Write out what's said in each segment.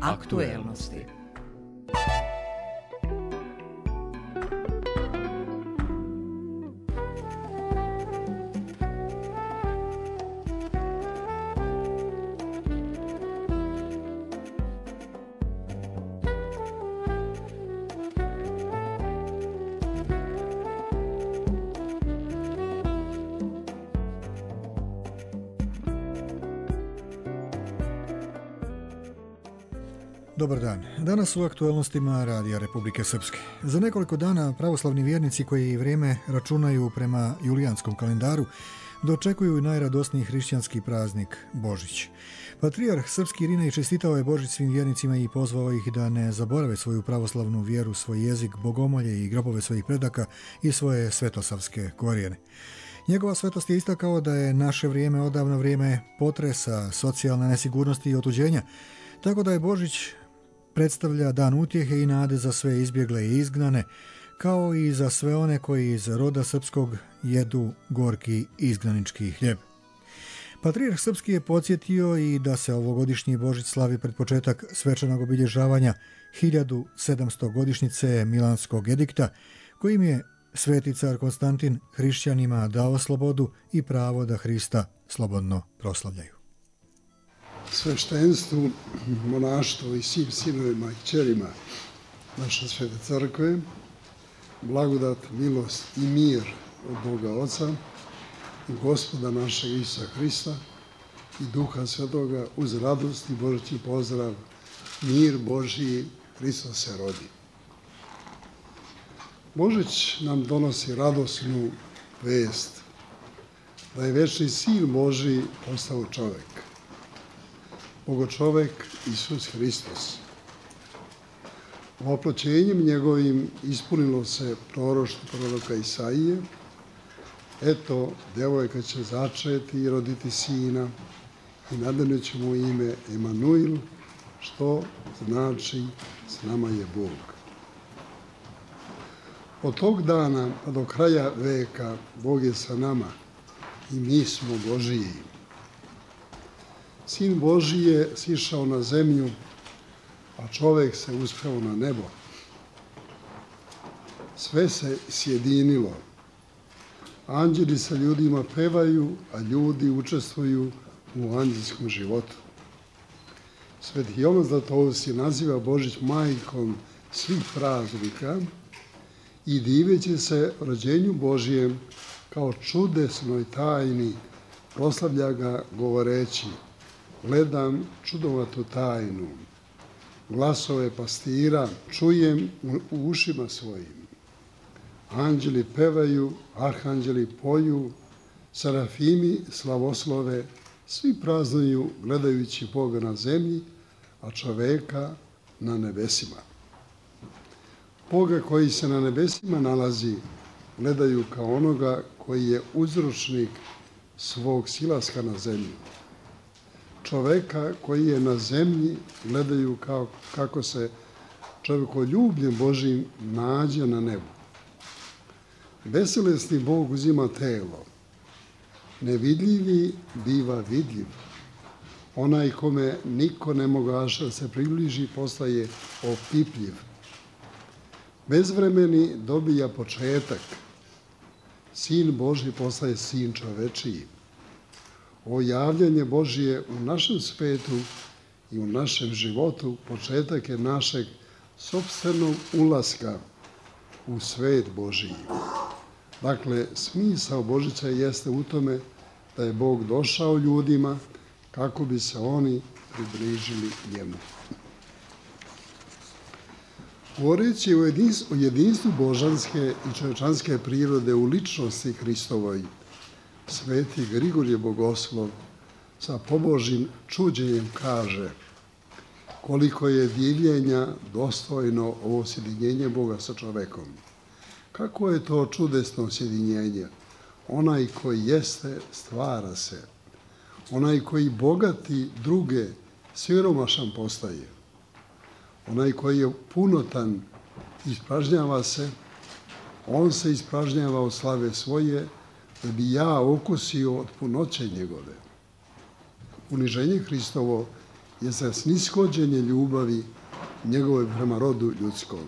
Aktuelnosti. Dobar dan. Danas u aktuelnostima Radija Republike Srpske. Za nekoliko dana pravoslavni vjernici koji vrijeme računaju prema julijanskom kalendaru dočekuju i najradosniji hrišćanski praznik Božić. Patrijarh srpski Irinej čestitao je Božić svim vjernicima i pozvao ih da ne zaborave svoju pravoslavnu vjeru, svoj jezik, bogomolje i grobove svojih predaka i svoje svetosavske korijene. Njegova svetost je istakao da je naše vrijeme odavno vrijeme potresa, socijalne nesigurnosti i otuđenja, tako da je Božić predstavlja dan utjehe i nade za sve izbjegle i izgnane, kao i za sve one koji iz roda srpskog jedu gorki izgnanički hljeb. Patrijarh srpski je podsjetio i da se ovogodišnji Božić slavi pred početak svečanog obilježavanja 1700. godišnjice Milanskog edikta, kojim je sveti car Konstantin hrišćanima dao slobodu i pravo da Hrista slobodno proslavljaju. Sveštenstvu, monaštvu i svim sinovima i kćerima naše svete crkve, blagodat, milost i mir od Boga Oca i Gospoda našeg Isusa Hrista i Duha Svetoga uz radost i božićni pozdrav, mir Božji, Hristos se rodi. Božić nam donosi radosnu vest da je večni Sin Božji postao čovek. Bogočovek Isus Hristos. Oploćenjem njegovim ispunilo se proroštvo proroka Isaije. Eto, devojka će začeti i roditi sina i nadanijet će mu ime Emanuil, što znači s nama je Bog. Od tog dana pa do kraja veka Bog je sa nama i mi smo Božiji. Sin Božji je sišao na zemlju, a čovek se uspeo na nebo. Sve se sjedinilo. Anđeli sa ljudima pevaju, a ljudi učestvuju u anđelskom životu. Sveti Jovan Zlatoust naziva Božić majkom svih praznika i diveći se rođenju Božijem kao čudesnoj tajni, proslavlja ga govoreći: gledam čudovatu tajnu, glasove pastira čujem u ušima svojim. Anđeli pevaju, arhanđeli poju, serafimi slavoslove, svi praznuju gledajući Boga na zemlji, a čoveka na nebesima. Boga koji se na nebesima nalazi gledaju kao onoga koji je uzročnik svog silaska na zemlju. Čoveka koji je na zemlji gledaju kako se čovjekoljubljem Božijim nađe na nebu. Beselesni Bog uzima telo. Nevidljivi biva vidljiv. Onaj kome niko ne mogaše da se približi postaje opipljiv. Bezvremeni dobija početak. Sin Božji postaje sin čovečiji. Ovo javljanje Božije u našem svetu i u našem životu početak je našeg sopstvenog ulaska u svet Božiji. Dakle, smisao Božića jeste u tome da je Bog došao ljudima kako bi se oni približili njemu. Govoreći o jedinstvu božanske i čovječanske prirode u ličnosti Hristovoj, sveti Grigorije Bogoslov sa pobožnim čuđenjem kaže: koliko je divljenja dostojno ovo sjedinjenje Boga sa čovekom. Kako je to čudesno sjedinjenje? Onaj koji jeste, stvara se. Onaj koji bogati druge, siromašan postaje. Onaj koji je punotan, ispražnjava se, on se ispražnjava od slave svoje, da bi ja okusio od punoće njegove. Uniženje Hristovo jeste snishođenje ljubavi njegove prema rodu ljudskom.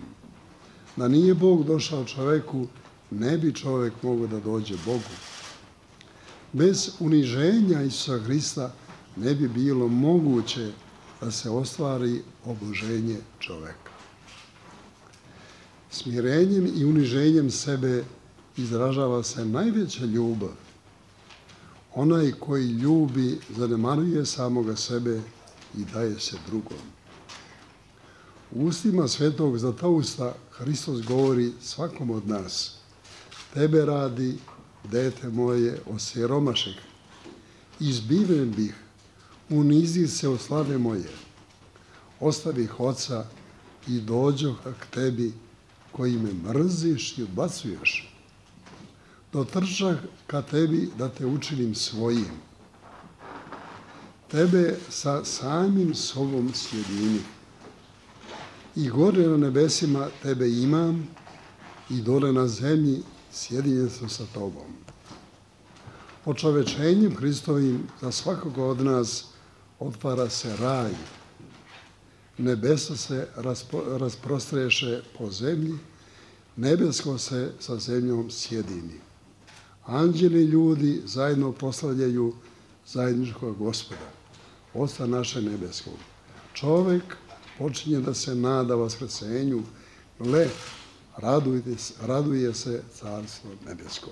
Da nije Bog došao čoveku, ne bi čovek mogao da dođe Bogu. Bez uniženja Isusa Hrista ne bi bilo moguće da se ostvari oboženje čoveka. Smirenjem i uniženjem sebe izražava se najveća ljubav. Onaj koji ljubi zanemaruje samoga sebe i daje se drugom. U ustima svetog Zlatousta Hristos govori svakom od nas: tebe radi, dete moje, osiromašeh, izbiven bih, unizi se od slave moje, ostavih oca i dođoh k tebi koji me mrziš i odbacuješ. Dotrčah ka tebi da te učinim svojim. Tebe sa samim sobom sjedini. I gore na nebesima tebe imam i dole na zemlji sjedinjen sam sa tobom. Očovečenjem Hristovim za svakoga od nas otvara se raj. Nebesa se rasprostreše po zemlji, nebesko se sa zemljom sjedini. Anđeli i ljudi zajedno proslavljaju zajedničkog Gospoda, Oca naše nebeskog. Čovek počinje da se nada vaskrsenju, gle, raduje se carstvo nebesko.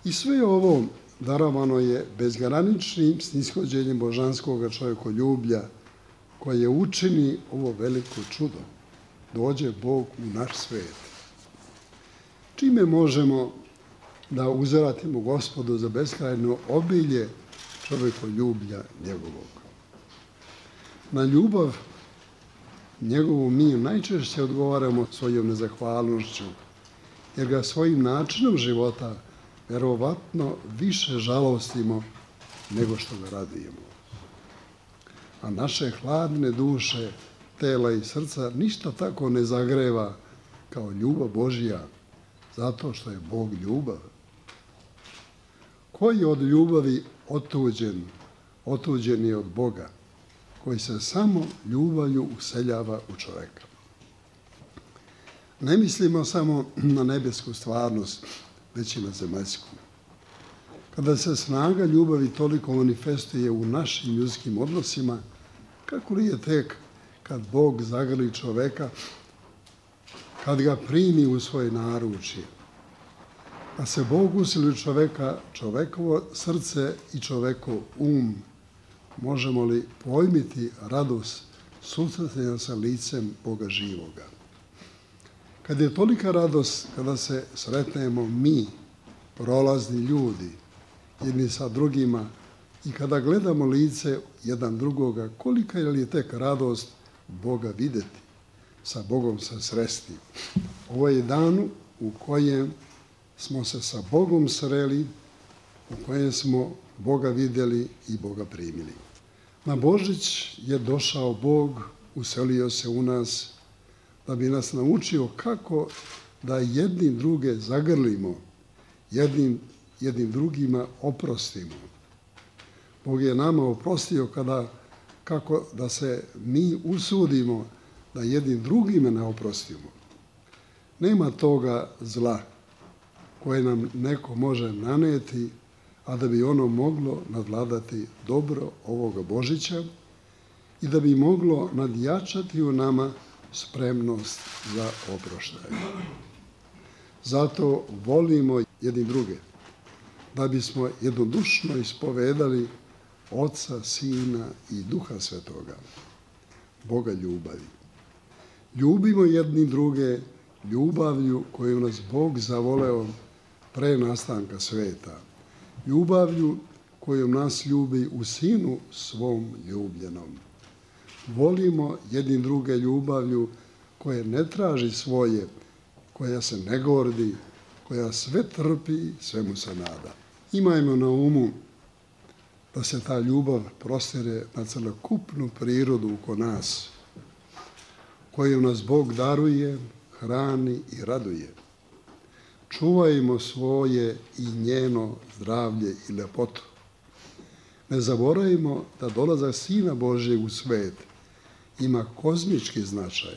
I sve ovo darovano je bezgraničnim snishođenjem božanskog čovjekoljublja koje učini ovo veliko čudo. Dođe Bog u naš svet. Čime možemo da uzvratimo Gospodu za beskrajno obilje čovjekoljublja njegovog? Na ljubav njegovu mi najčešće odgovaramo svojom nezahvalnošću, jer ga svojim načinom života verovatno više žalostimo nego što ga radujemo. A naše hladne duše, tela i srca ništa tako ne zagreva kao ljubav Božja, zato što je Bog ljubav. Ko je od ljubavi otuđen? Otuđen je od Boga, koji se samo ljubavlju useljava u čoveka. Ne mislimo samo na nebesku stvarnost, već i na zemaljsku. Kada se snaga ljubavi toliko manifestuje u našim ljudskim odnosima, kako li je tek kad Bog zagrli čoveka, kad ga primi u svoje naručje? Kad se Bog usili u čoveka, čovekovo srce i čovekov možemo li pojmiti radost susretanja sa licem Boga živoga? Kad je tolika radost kada se sretnemo mi, prolazni ljudi, jedni sa drugima, i kada gledamo lice jedan drugoga, kolika je li tek radost Boga videti, sa Bogom se sresti. Ovo je dan u kojem smo se sa Bogom sreli, u kojem smo Boga vidjeli i Boga primili. Na Božić je došao Bog, uselio se u nas, da bi nas naučio kako da jedni druge zagrlimo, jednim drugima oprostimo. Bog je nama oprostio kako da se mi usudimo da jednim drugima ne oprostimo. Nema toga zla koje nam neko može naneti, a da bi ono moglo nadvladati dobro ovoga Božića i da bi moglo nadjačati u nama spremnost za oproštaj. Zato volimo jedni druge, da bismo jednodušno ispovedali Oca, Sina i Duha Svetoga, Boga ljubavi. Ljubimo jedni druge ljubavlju koju nas Bog zavoleo pre nastanka sveta, ljubavlju kojom nas ljubi u Sinu svom ljubljenom. Volimo jedni druge ljubavlju koja ne traži svoje, koja se ne gordi, koja sve trpi, svemu se nada. Imajmo na umu da se ta ljubav prostire na celokupnu prirodu oko nas, koju nas Bog daruje, hrani i raduje. Čuvajmo svoje i njeno zdravlje i lepotu. Ne zaboravimo da dolazak Sina Božjeg u svet ima kozmički značaj.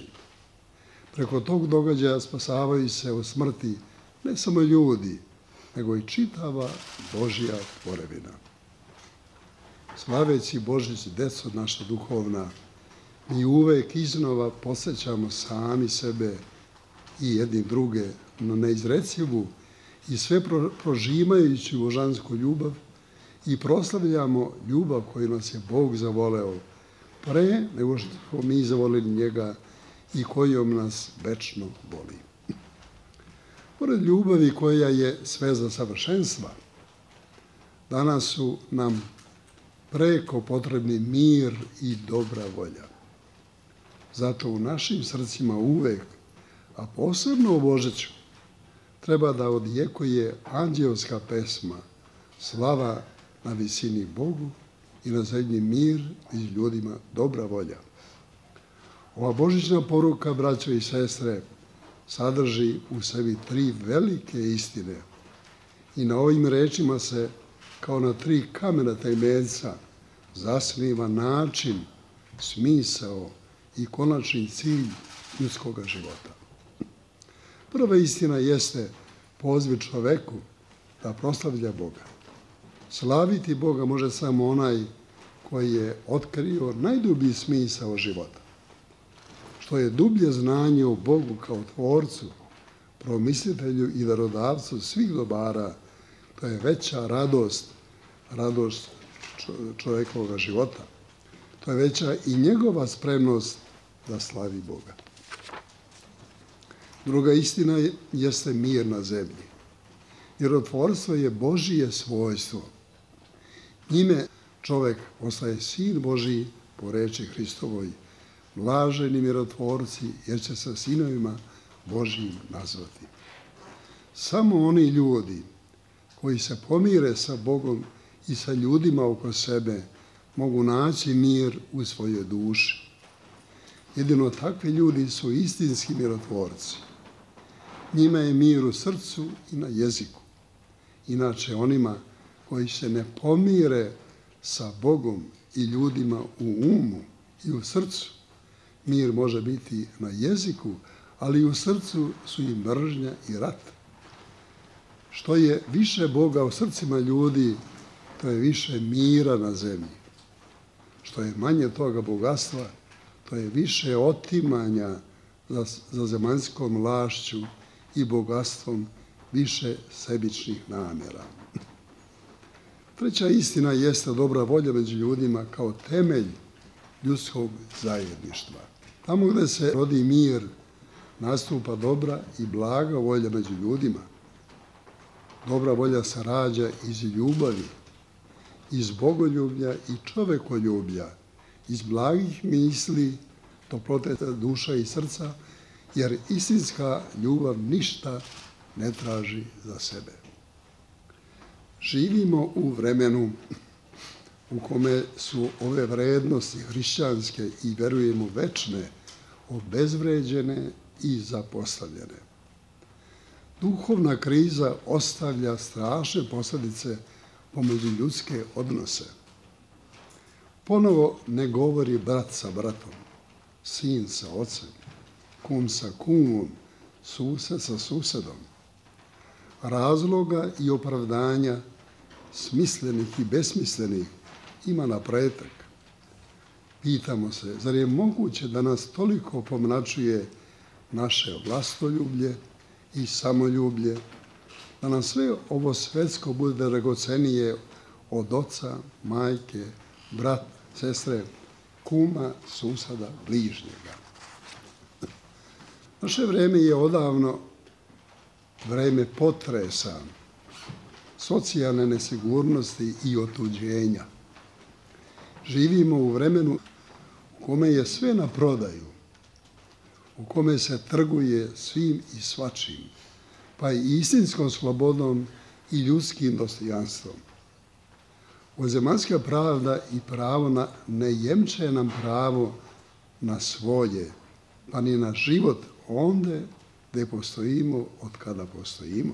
Preko tog događaja spasavaju se od smrti ne samo ljudi, nego i čitava Božja tvorevina. Slaveći Božić, deco naša duhovna, mi uvek iznova podsjećamo sami sebe i jedni druge na neizrecivu i sve prožimajuću božansku ljubav i proslavljamo ljubav koju nas je Bog zavoleo pre nego što smo mi zavolili njega i kojom nas večno voli. Pored ljubavi koja je sve za savršenstva, danas su nam preko potrebni mir i dobra volja. Zato u našim srcima uvek, a posebno u Božiću, treba da odjekuje anđelska pesma, slava na visini Bogu i na zemlji mir i ljudima dobra volja. Ova božićna poruka, braćo i sestre, sadrži u sebi 3 velike istine i na ovim rečima se, kao na 3 kamena temeljca, zasniva način, smisao i konačni cilj ljudskog života. Prva istina jeste poziv čoveku da proslavlja Boga. Slaviti Boga može samo onaj koji je otkrio najdublji smisao života. Što je dublje znanje o Bogu kao tvorcu, promislitelju i darodavcu svih dobara, to je veća radost čovjekovog života. To je veća i njegova spremnost da slavi Boga. Druga istina jeste mir na zemlji. Mirotvorstvo je Božije svojstvo. Njime čovjek postaje sin Božiji po reči Hristovoj, blaženi mirotvorci, jer će se sinovima Božijim nazvati. Samo oni ljudi koji se pomire sa Bogom i sa ljudima oko sebe mogu naći mir u svojoj duši. Jedino takvi ljudi su istinski mirotvorci. Njima je mir u srcu i na jeziku. Inače, onima koji se ne pomire sa Bogom i ljudima u umu i u srcu, mir može biti na jeziku, ali i u srcu su i mržnja i rat. Što je više Boga u srcima ljudi, to je više mira na zemlji. Što je manje toga bogatstva, to je više otimanja za zemaljskom vlašću i bogatstvom, više sebičnih namjera. Treća istina jeste dobra volja među ljudima kao temelj ljudskog zajedništva. Tamo gde se rodi mir, nastupa dobra i blaga volja među ljudima. Dobra volja se rađa iz ljubavi, iz bogoljublja i čovekoljublja, iz blagih misli, toplote duša i srca, jer istinska ljubav ništa ne traži za sebe. Živimo u vremenu u kome su ove vrednosti hrišćanske i verujemo večne, obezvređene i zapostavljene. Duhovna kriza ostavlja strašne posljedice po međuljudske odnose. Ponovo ne govori brat sa bratom, sin sa ocem, kum sa kumom, sused sa susedom. Razloga i opravdanja, smislenih i besmislenih, ima napretek. Pitamo se, zar je moguće da nas toliko pomračuje naše vlastoljublje i samoljublje, da nam sve ovo svetsko bude dragocenije od oca, majke, brat, sestre, kuma, suseda, bližnjega. Naše vreme je odavno vreme potresa, socijalne nesigurnosti i otuđenja. Živimo u vremenu u kome je sve na prodaju, u kome se trguje svim i svačim, pa i istinskom slobodom i ljudskim dostojanstvom. Ovozemaljska pravda i pravo ne jemče nam pravo na svoje, pa ni na život onde gde postojimo od kada postojimo.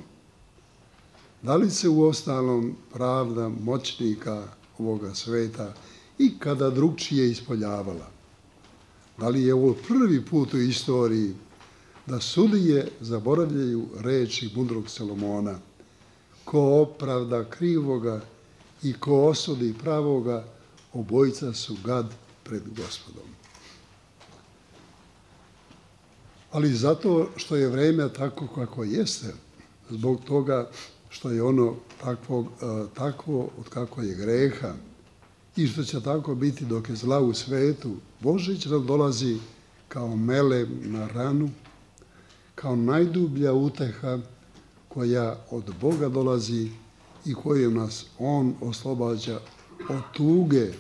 Da li se uostalom pravda moćnika ovoga sveta i kada drugčije ispolijavala. Da li je ovo prvi put u istoriji da sudije zaboravljaju reči mudrog Salomona? Ko opravda krivoga i ko osudi pravoga, obojica su gad pred Gospodom. Ali zato što je vreme tako kako jeste, zbog toga što je ono takvo od kako je greha i što će tako biti dok je zla u svetu, Božić nam dolazi kao melem na ranu, kao najdublja uteha koja od Boga dolazi i kojom nas On oslobađa od tuge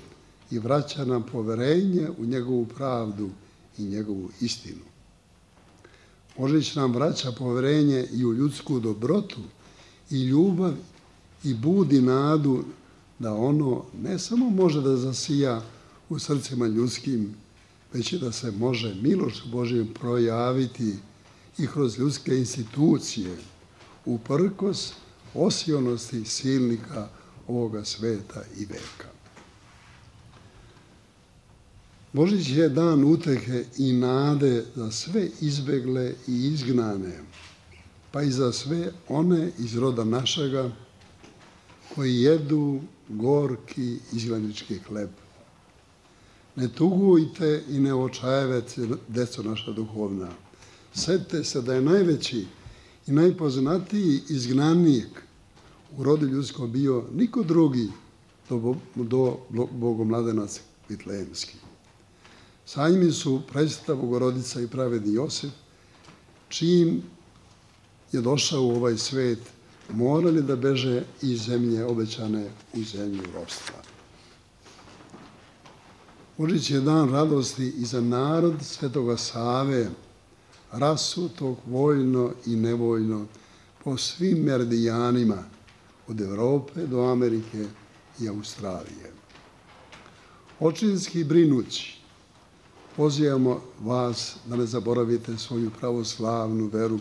i vraća nam poverenje u njegovu pravdu i njegovu istinu. Božić nam vraća poverenje i u ljudsku dobrotu i ljubav i budi nadu da ono ne samo može da zasija u srcima ljudskim, već i da se može milošću Božijom projaviti i kroz ljudske institucije, uprkos osionosti silnika ovoga sveta i veka. Božić je dan utehe i nade za sve izbegle i izgnane, pa i za sve one iz roda našega koji jedu gorki izgnanički hleb. Ne tugujte i ne očajavajte, deco naša duhovna. Setite se da je najveći i najpoznatiji izgnanik u rodu ljudskom bio niko drugi do Bogomladenac Vitlejemski. Sa njim su Presveta Bogorodica i pravedni Josif, čim je došao u ovaj svet, morali da beže iz zemlje obećane u zemlju ropstva. Božić je dan radosti i za narod Svetoga Save, rasutog vojno i nevojno po svim meridijanima, od Evrope do Amerike i Australije. Očinski brinući, pozivamo vas da ne zaboravite svoju pravoslavnu veru,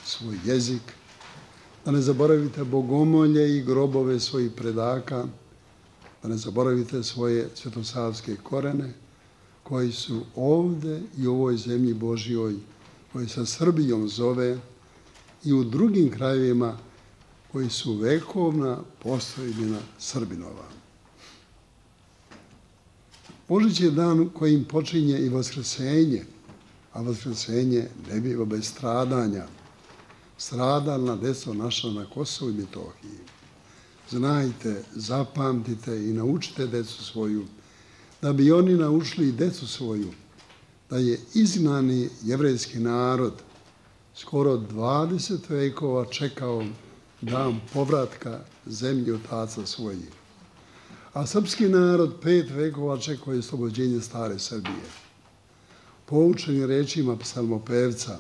svoj jezik, da ne zaboravite bogomolje i grobove svojih predaka, da ne zaboravite svoje svetosavske korene koji su ovde i u ovoj zemlji Božjoj, koji se Srbijom zove, i u drugim krajevima koji su vekovna postojbina Srbinova. Božić je dan kojim počinje i vaskrsenje, a vaskrsenje ne biva bez stradanja. Stradalna deco naša na Kosovu i Metohiji. Znajte, zapamtite i naučite decu svoju, da bi oni naučili i decu svoju, da je izgnani jevrejski narod skoro 20 vekova čekao dan povratka zemlji otaca svojih. A srpski narod 5 vekova čekao je oslobođenje stare Srbije. Poučeni rečima psalmopevca,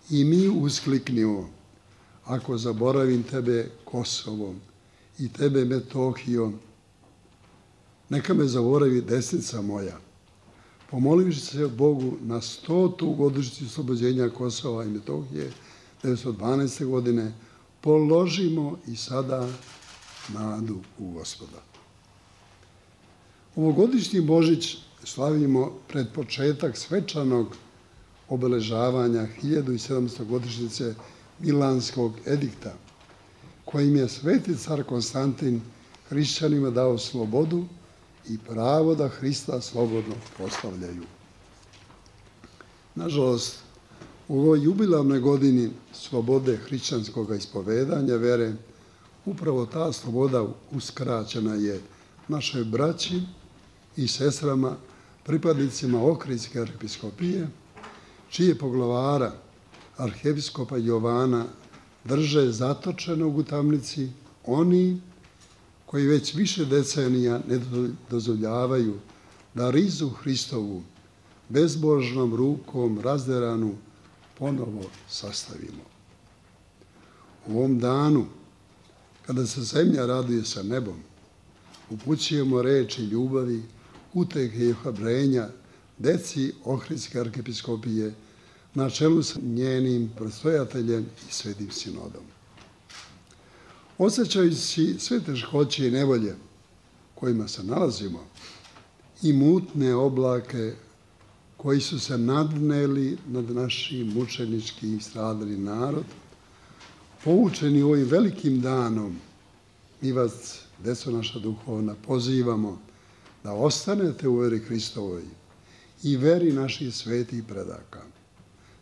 i mi uskliknimo, ako zaboravim tebe Kosovom i tebe Metohijom, neka me zaboravi desnica moja. Pomolivši se Bogu na 100. godišnjicu oslobođenja Kosova i Metohije 1912. godine, položimo i sada nadu u Gospoda. Ovogodišnji Božić slavimo pred početak svečanog obeležavanja 1700. godišnjice Milanskog edikta, kojim je sveti car Konstantin hrišćanima dao slobodu i pravo da Hrista slobodno proslavljaju. Nažalost, u ovoj jubilarnoj godini slobode hrišćanskog ispovedanja vere, upravo ta sloboda uskraćena je našoj braći i sestrama, pripadnicima Ohridske arhiepiskopije, čije poglavara, arhiepiskopa Jovana, drže zatočenog u tamnici oni koji već više decenija ne dozvoljavaju da rizu Hristovu bezbožnom rukom razderanu ponovo sastavimo. U ovom danu, kada se zemlja raduje sa nebom, upućujemo reči ljubavi, utehe i ohrabrenja deci Ohridske arhiepiskopije na čelu sa njenim predstojateljem i svetim sinodom. Osjećajući sve teškoće i nevolje kojima se nalazimo i mutne oblake koji su se nadneli nad našim mučenički i stradali narod, poučeni ovim velikim danom, mi vas, deco naša duhovna, pozivamo da ostanete u veri Hristovoj i veri naših svetih predaka.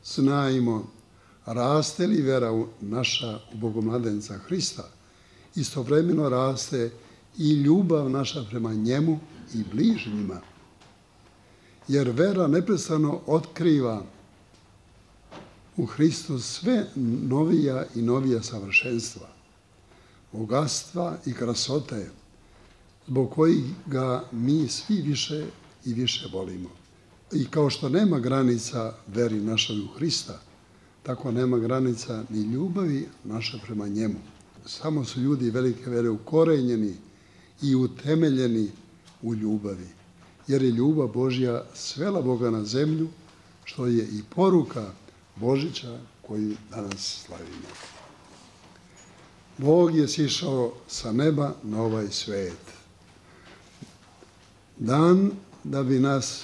Znajmo, raste li vera naša u Bogomladenca Hrista, istovremeno raste i ljubav naša prema njemu i bližnjima. Jer vera neprestano otkriva u Hristu sve novija i novija savršenstva, bogatstva i krasote, zbog kojih ga mi svi više i više volimo. I kao što nema granica veri našoj u Hrista, tako nema granica ni ljubavi naša prema njemu. Samo su ljudi velike vere ukorenjeni i utemeljeni u ljubavi, jer je ljubav Božja svela Boga na zemlju, što je i poruka Božića koju danas slavimo. Bog je sišao sa neba na ovaj svet. Dan da bi nas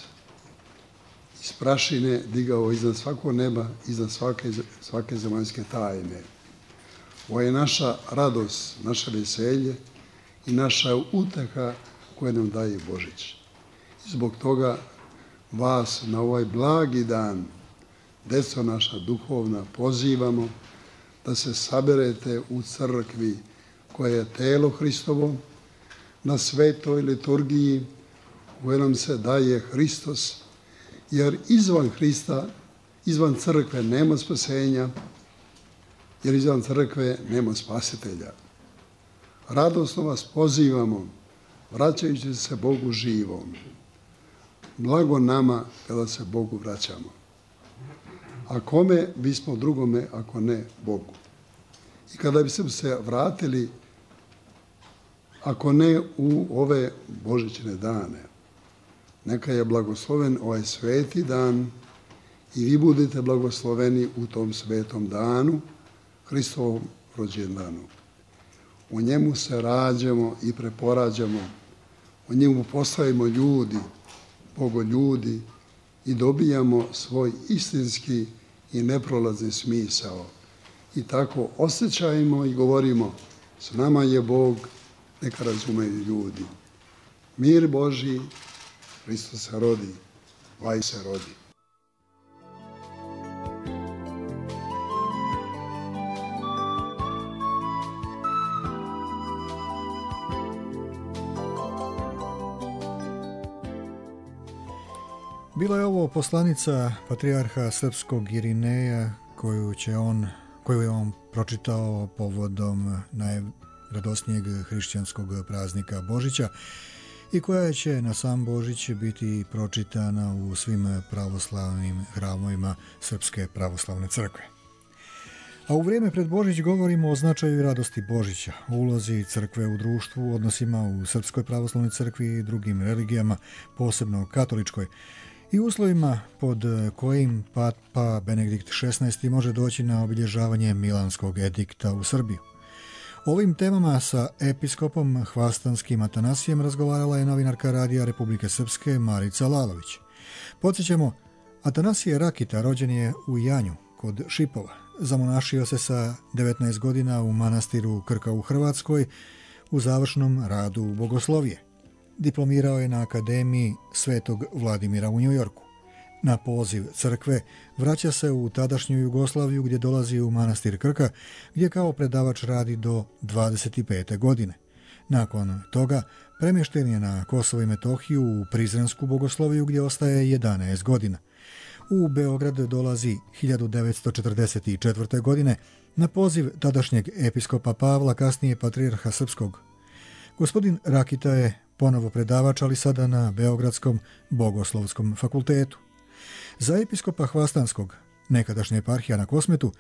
iz prašine digao iznad svakog neba, iznad svake zemaljske tajne. Ovo je naša radost, naše veselje i naša uteha koje nam daje Božić. I zbog toga vas na ovaj blagi dan, deco naša duhovna, pozivamo da se saberete u crkvi koja je telo Hristovo, na svetoj liturgiji u kojoj nam se daje Hristos, jer izvan Hrista, izvan crkve nema spasenja, jer izvan crkve nema spasitelja. Radosno vas pozivamo, vraćajući se Bogu živom. Blago nama kada se Bogu vraćamo. A kome bismo drugome ako ne Bogu? I kada bismo se vratili, ako ne u ove božićne dane, neka je blagosloven ovaj sveti dan i vi budete blagosloveni u tom svetom danu, Hristovom rođendanu. U njemu se rađamo i preporađamo, u njemu postajemo ljudi, bogoljudi i dobijamo svoj istinski i neprolazni smisao. I tako osjećajmo i govorimo, s nama je Bog, neka razumeju ljudi. Mir Božji, Hristos se rodi, vaj se rodi. Bila je ovo poslanica patrijarha srpskog Irineja koju je on pročitao povodom najradosnijeg hrišćanskog praznika Božića i koja će na sam Božić biti pročitana u svim pravoslavnim hramovima Srpske pravoslavne crkve. A u vrijeme pred Božić govorimo o značaju i radosti Božića, o ulozi crkve u društvu, odnosima u Srpskoj pravoslavnoj crkvi i drugim religijama, posebno katoličkoj, i uslovima pod kojim Papa Benedikt XVI može doći na obilježavanje Milanskog edikta u Srbiju. Ovim temama sa episkopom hvastanskim Atanasijem razgovarala je novinarka Radija Republike Srpske Marica Lalović. Podsjećamo, Atanasije Rakita rođen je u Janju kod Šipova. Zamonašio se sa 19 godina u manastiru Krka u Hrvatskoj u završnom radu bogoslovije. Diplomirao je na Akademiji Svetog Vladimira u Njujorku. Na poziv crkve vraća se u tadašnju Jugoslaviju gdje dolazi u manastir Krka, gdje kao predavač radi do 25. godine. Nakon toga premješten je na Kosovo i Metohiju u Prizrensku bogosloviju gdje ostaje 11 godina. U Beograd dolazi 1944. godine na poziv tadašnjeg episkopa Pavla, kasnije patrijarha srpskog. Gospodin Rakita je ponovo predavač, ali sada na Beogradskom bogoslovskom fakultetu. Za episkopa hvastanskog, nekadašnja eparhija na Kosmetu,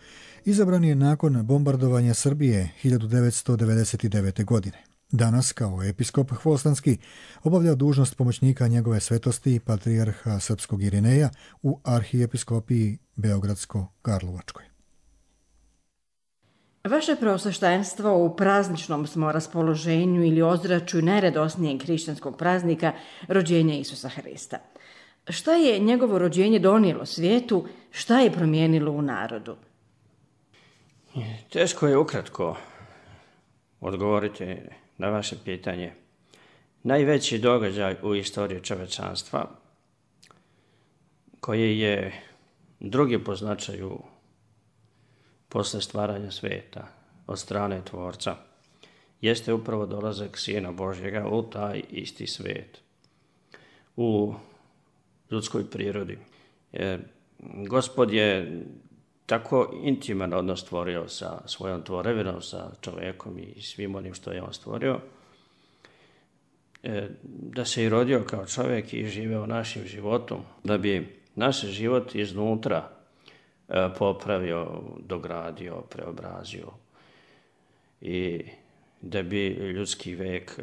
izabran je nakon bombardovanja Srbije 1999. godine. Danas, kao episkop hvastanski, obavlja dužnost pomoćnika njegove svetosti patrijarha srpskog Irineja u arhijepiskopiji Beogradsko-Karlovačkoj. Vaše preosveštenstvo u prazničnom smo raspoloženju ili ozračju najradosnijeg hrišćanskog praznika rođenja Isusa Hrista. Šta je njegovo rođenje donijelo svijetu, šta je promijenilo u narodu? Teško je ukratko odgovoriti na vaše pitanje. Najveći događaj u istoriji čovječanstva, koji je drugi po značaju posle stvaranja svijeta od strane Tvorca, jeste upravo dolazak Sina Božjega u taj isti svijet, u ljudskoj prirodi. Gospod je tako intiman odnos stvorio sa svojom tvorevinom, sa čovjekom i svim onim što je on stvorio, da se i rodio kao čovjek i živeo našim životom, da bi naš život iznutra popravio, dogradio, preobrazio i da bi ljudski vek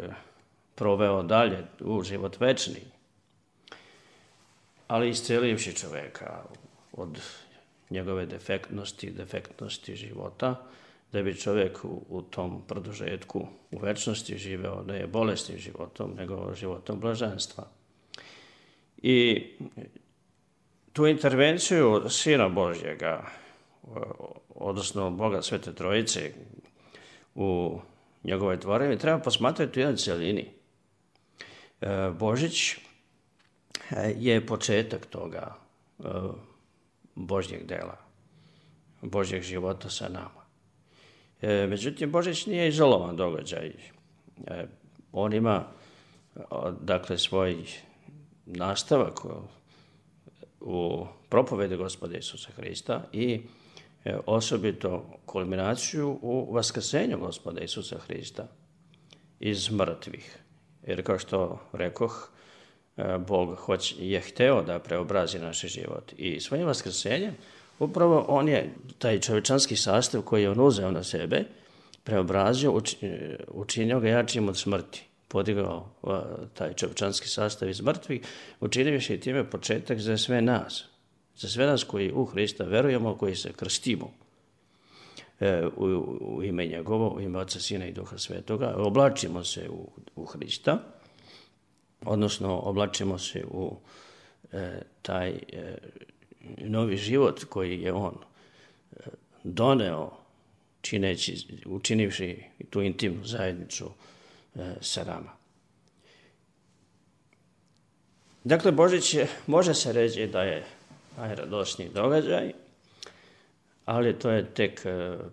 proveo dalje u život večni, ali iscelivši čovjeka od njegove defektnosti života, da bi čovjek u tom produžetku u večnosti živeo ne bolesnim životom, nego životom blaženstva. I tu intervenciju Sina Božjega, odnosno Boga Svete Trojice u njegovoj tvorevini, treba posmatrati u jednoj cjelini. Božić je početak toga Božjeg dela, Božjeg života sa nama. Međutim, Božić nije izolovan događaj. On ima, dakle, svoj nastavak u propovedi Gospoda Isusa Hrista i osobito kulminaciju u vaskrsenju Gospoda Isusa Hrista iz mrtvih. Jer kao što rekoh, Bog je hteo da preobrazi naš život i svojim vaskrsenjem upravo on je taj čovječanski sastav koji je on uzeo na sebe, preobrazio, učinio ga jačim od smrti. Podigao taj čovječanski sastav iz mrtvih, učinivši i time početak za sve nas koji u Hrista verujemo, koji se krstimo u ime njegovo, u ime Oca, Sina i Duha Svetoga, oblačimo se u Hrista, odnosno oblačimo se u taj novi život koji je on doneo, učinivši tu intimnu zajednicu sa nama. Dakle, Božić može se reći da je najradosniji događaj, ali to je tek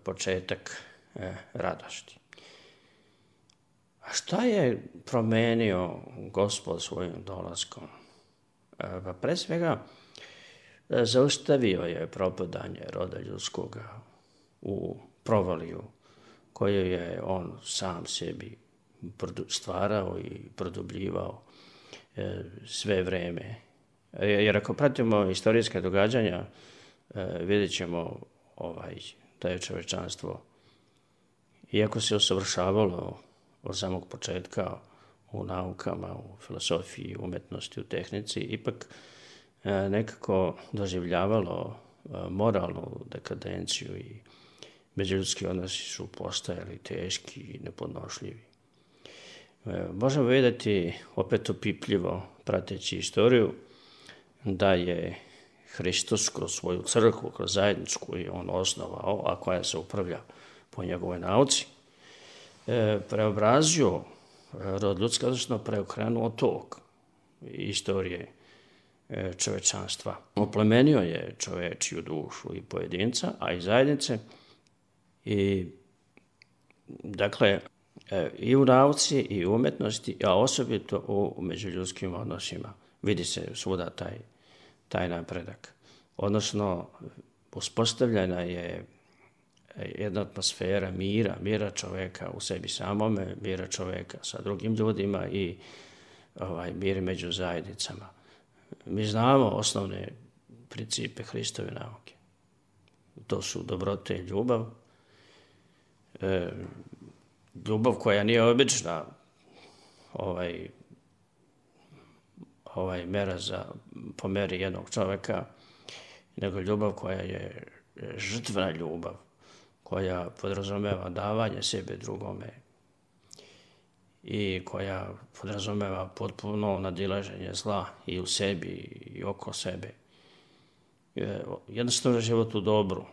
početak radosti. A šta je promenio Gospod svojim dolaskom? Pa pre svega zaustavio je propadanje roda ljudskoga u provaliju koju je on sam sebi stvarao i produbljivao sve vreme. Jer ako pratimo istorijska događanja, vidjet ćemo da je čovječanstvo, iako se usavršavalo od samog početka u naukama, u filosofiji, umetnosti, u tehnici, ipak nekako doživljavalo moralnu dekadenciju i međuljudski odnosi su postajali teški i nepodnošljivi. Možemo vidjeti opet opipljivo, prateći istoriju, da je Hristos kroz svoju crkvu, kroz zajednicu koju je on osnovao, a koja se upravlja po njegovoj nauci, preobrazio rod ljudski, odnosno preokrenuo tok istorije čovečanstva. Oplemenio je čovečiju dušu i pojedinca, a i zajednice. I dakle, i u nauci i u umetnosti, a osobito u međuljudskim odnosima vidi se svuda taj napredak. Odnosno, uspostavljena je jedna atmosfera mira čovjeka u sebi samome, mira čovjeka sa drugim ljudima i mir među zajednicama. Mi znamo osnovne principe Hristove nauke. To su dobrote i ljubav. Ljubav koja nije obična mera po meri jednog čovjeka, nego ljubav koja je žrtvena ljubav. koja podrazumeva davanje sebe drugome i koja podrazumeva potpuno nadilaženje zla i u sebi i oko sebe. Jednostavno život u dobru.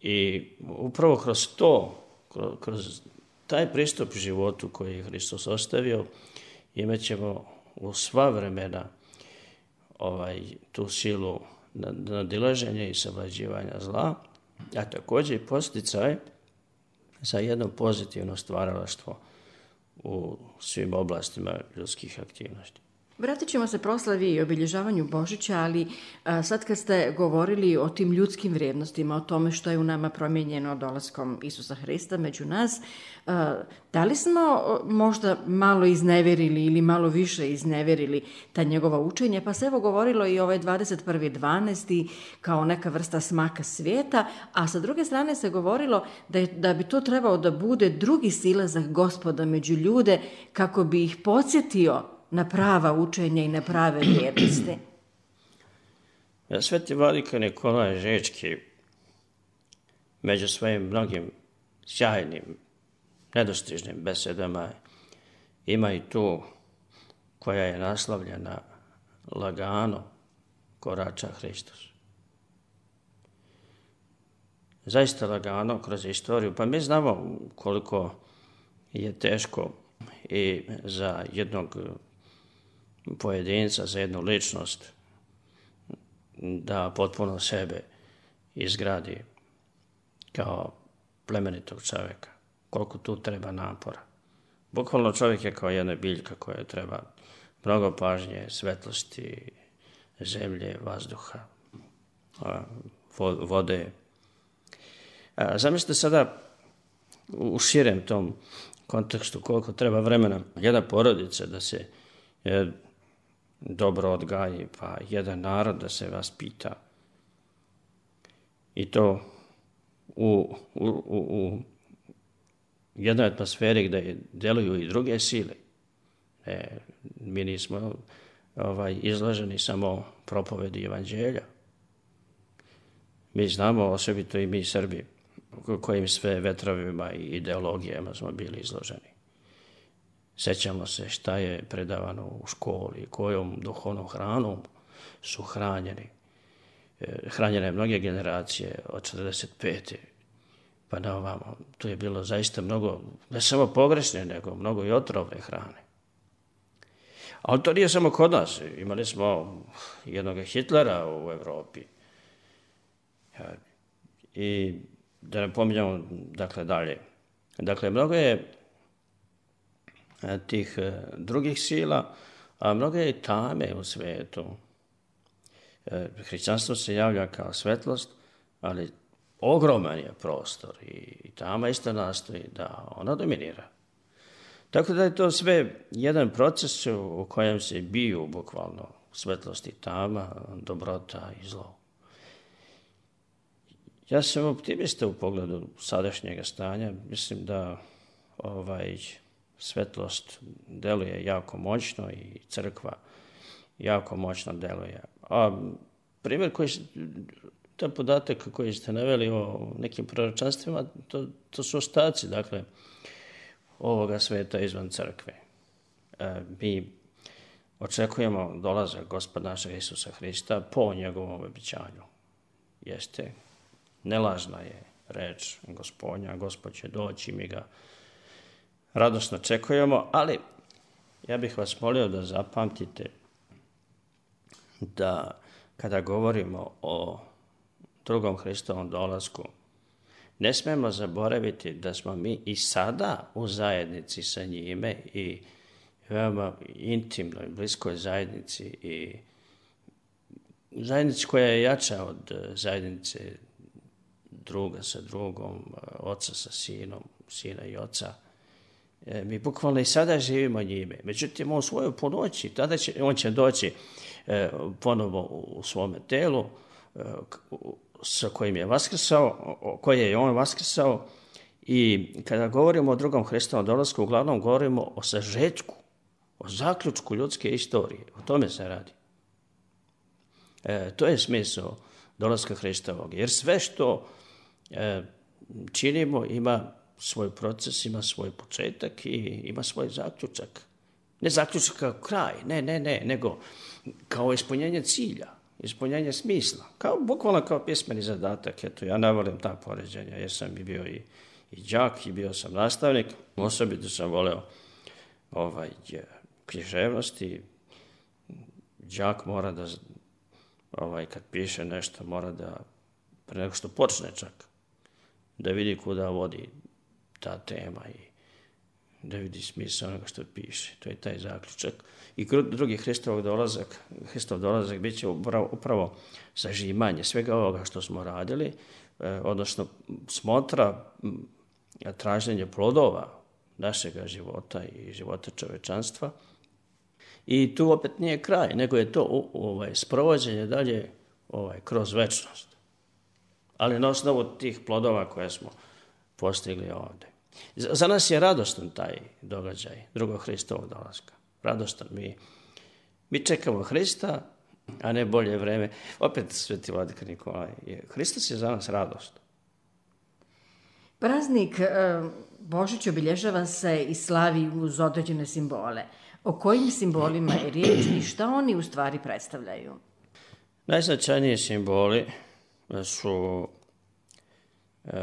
I upravo kroz to, kroz taj pristup životu koji je Hristos ostavio, imat ćemo u sva vremena tu silu nadilaženja i savlađivanja zla, a također i posticaj za jedno pozitivno stvaralaštvo u svim oblastima ljudskih aktivnosti. Vratit ćemo se proslavi i obilježavanju Božića, ali sad kad ste govorili o tim ljudskim vrijednostima, o tome što je u nama promijenjeno dolaskom Isusa Hrista među nas, da li smo možda malo izneverili ili malo više izneverili ta njegova učenja, pa se evo govorilo i ovaj 21.12. kao neka vrsta smaka svijeta, a sa druge strane se govorilo da bi to trebao da bude drugi silazak Gospoda među ljude kako bi ih podsjetio na prava učenja i na prave vrijednosti. Sveti vladika Nikolaj Žečki među svojim mnogim sjajnim, nedostižnim besedama ima i tu koja je naslovljena lagano korača Hristos. Zaista lagano kroz istoriju, pa mi znamo koliko je teško i za jednog pojedinca, za jednu ličnost da potpuno sebe izgradi kao plemenitog čovjeka. Koliko tu treba napora. Bukvalno čovjek je kao jedna biljka koja treba mnogo pažnje, svetlosti, zemlje, vazduha, vode. Zamislite sada u širem tom kontekstu koliko treba vremena jedna porodica da se dobro odgaji, pa jedan narod da se vaspita. I to u jednoj atmosferi gdje deluju i druge sile. Mi nismo izloženi samo propovedi evanđelja. Mi znamo, osobito i mi Srbi, kojim sve vetrovima i ideologijama smo bili izloženi. Sećamo se šta je predavano u školi, kojom duhovnom hranom su hranjeni. Hranjene mnoge generacije od 45. pa na ovamo. Tu je bilo zaista mnogo, ne samo pogrešne, nego mnogo i otrovne hrane. Ali to nije samo kod nas. Imali smo jednog Hitlera u Evropi. I da ne pominjamo, dalje. Dakle, mnogo je tih drugih sila, a mnogo je tame u svijetu. Hrišćanstvo se javlja kao svetlost, ali ogroman je prostor i tama isto nastoji da ona dominira. Tako da je to sve jedan proces u kojem se biju bukvalno svetlost i tama, dobrota i zlo. Ja sam optimista u pogledu sadašnjega stanja. Mislim da svetlost deluje jako moćno i crkva jako moćno deluje. A primjer taj podatak koji ste naveli o nekim proročanstvima, to su ostaci, ovoga sveta izvan crkve. Mi očekujemo dolazak Gospoda našeg Isusa Hrista po njegovom obećanju. Jeste, nelažna je reč Gospodnja, Gospod će doći, mi ga radosno očekujemo, ali ja bih vas molio da zapamtite da kada govorimo o drugom Hristovom dolasku, ne smijemo zaboraviti da smo mi i sada u zajednici sa njime i veoma intimnoj, bliskoj zajednici i zajednici koja je jača od zajednice druga sa drugom, oca sa sinom, sina i oca. Mi bukvalno i sada živimo njime. Međutim, u svojoj punoći, on će doći ponovo u svome telu sa kojim je vaskrsao, koje je on vaskrsao, i kada govorimo o drugom Hristovom dolasku, uglavnom govorimo o sažetku, o zaključku ljudske istorije. O tome se radi. To je smisao dolaska Hristovog. Jer sve što činimo ima svoj proces, ima svoj početak i ima svoj zaključak. Ne zaključak kao kraj, ne, nego kao ispunjenje cilja, ispunjenje smisla. Bukvalno kao pismeni zadatak. Eto, ja ne volim ta poređenja, jer sam bio i đak i bio sam nastavnik. Osobito sam voleo književnost i đak mora da, kad piše nešto, mora da, pre nego što počne čak, da vidi kuda vodi ta tema i da vidi smisao onoga što piše. To je taj zaključak. I drugi Hristov dolazak bit će upravo sažimanje svega ovoga što smo radili, odnosno smotra, traženje plodova našega života i života čovečanstva. I tu opet nije kraj, nego je to sprovođenje dalje kroz večnost. Ali na osnovu tih plodova koje smo postigli ovdje. Za nas je radostan taj događaj drugog Hristovog dolaska. Radostan. Mi čekamo Hrista, a ne bolje vreme. Opet sveti vladika Nikolaj. Hristos je za nas radost. Praznik Božić obilježava se i slavi uz određene simbole. O kojim simbolima je riječ i šta oni u stvari predstavljaju? Najznačajniji simboli su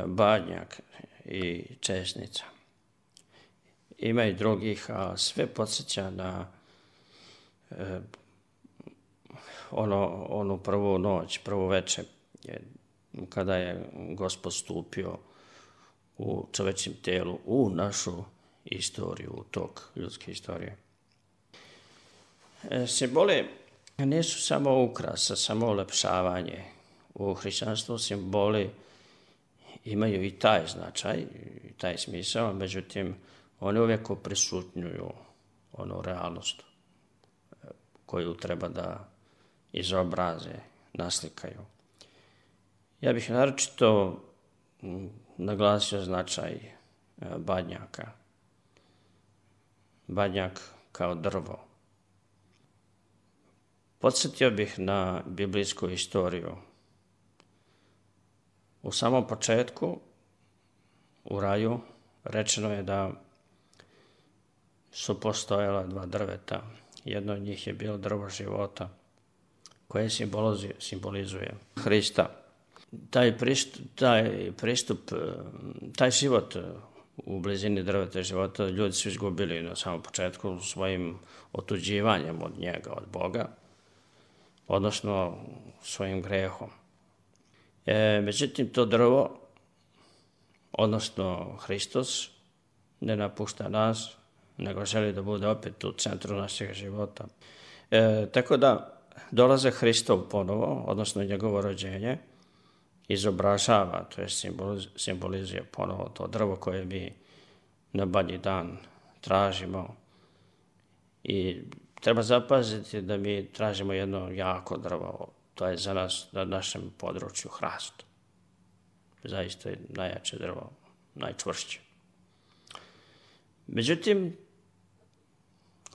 badnjak i česnica. Ima i drugih, a sve podsjeća na onu prvu noć, prvu večer, kada je Gospod stupio u čovečjem telu, u našu istoriju, u tok ljudske istorije. Simboli nisu samo ukrasa, samo ulepšavanje. U hrišćanstvu simboli imaju i taj značaj, i taj smisao, međutim, oni uvijek oprisutnjuju onu realnost koju treba da izobraze, naslikaju. Ja bih naročito naglasio značaj badnjaka. Badnjak kao drvo. Podsjetio bih na biblijsku istoriju. U samom početku, u raju, rečeno je da su postojala dva drveta. Jedno od njih je bilo drvo života, koje simbolizuje Hrista. Taj pristup, taj život u blizini drveta života ljudi su izgubili na samom početku svojim otuđivanjem od njega, od Boga, odnosno svojim grehom. Međutim, to drvo, odnosno Hristos, ne napušta nas, nego želi da bude opet u centru našeg života. Tako da dolazak Hristov ponovo, odnosno njegovo rođenje, izobražava, to je simbolizuje ponovo to drvo koje mi na badnji dan tražimo. I treba zapaziti da mi tražimo jedno jako drvo, to je za nas na našem području hrast. Zaista je najjače drvo, najčvršće. Međutim,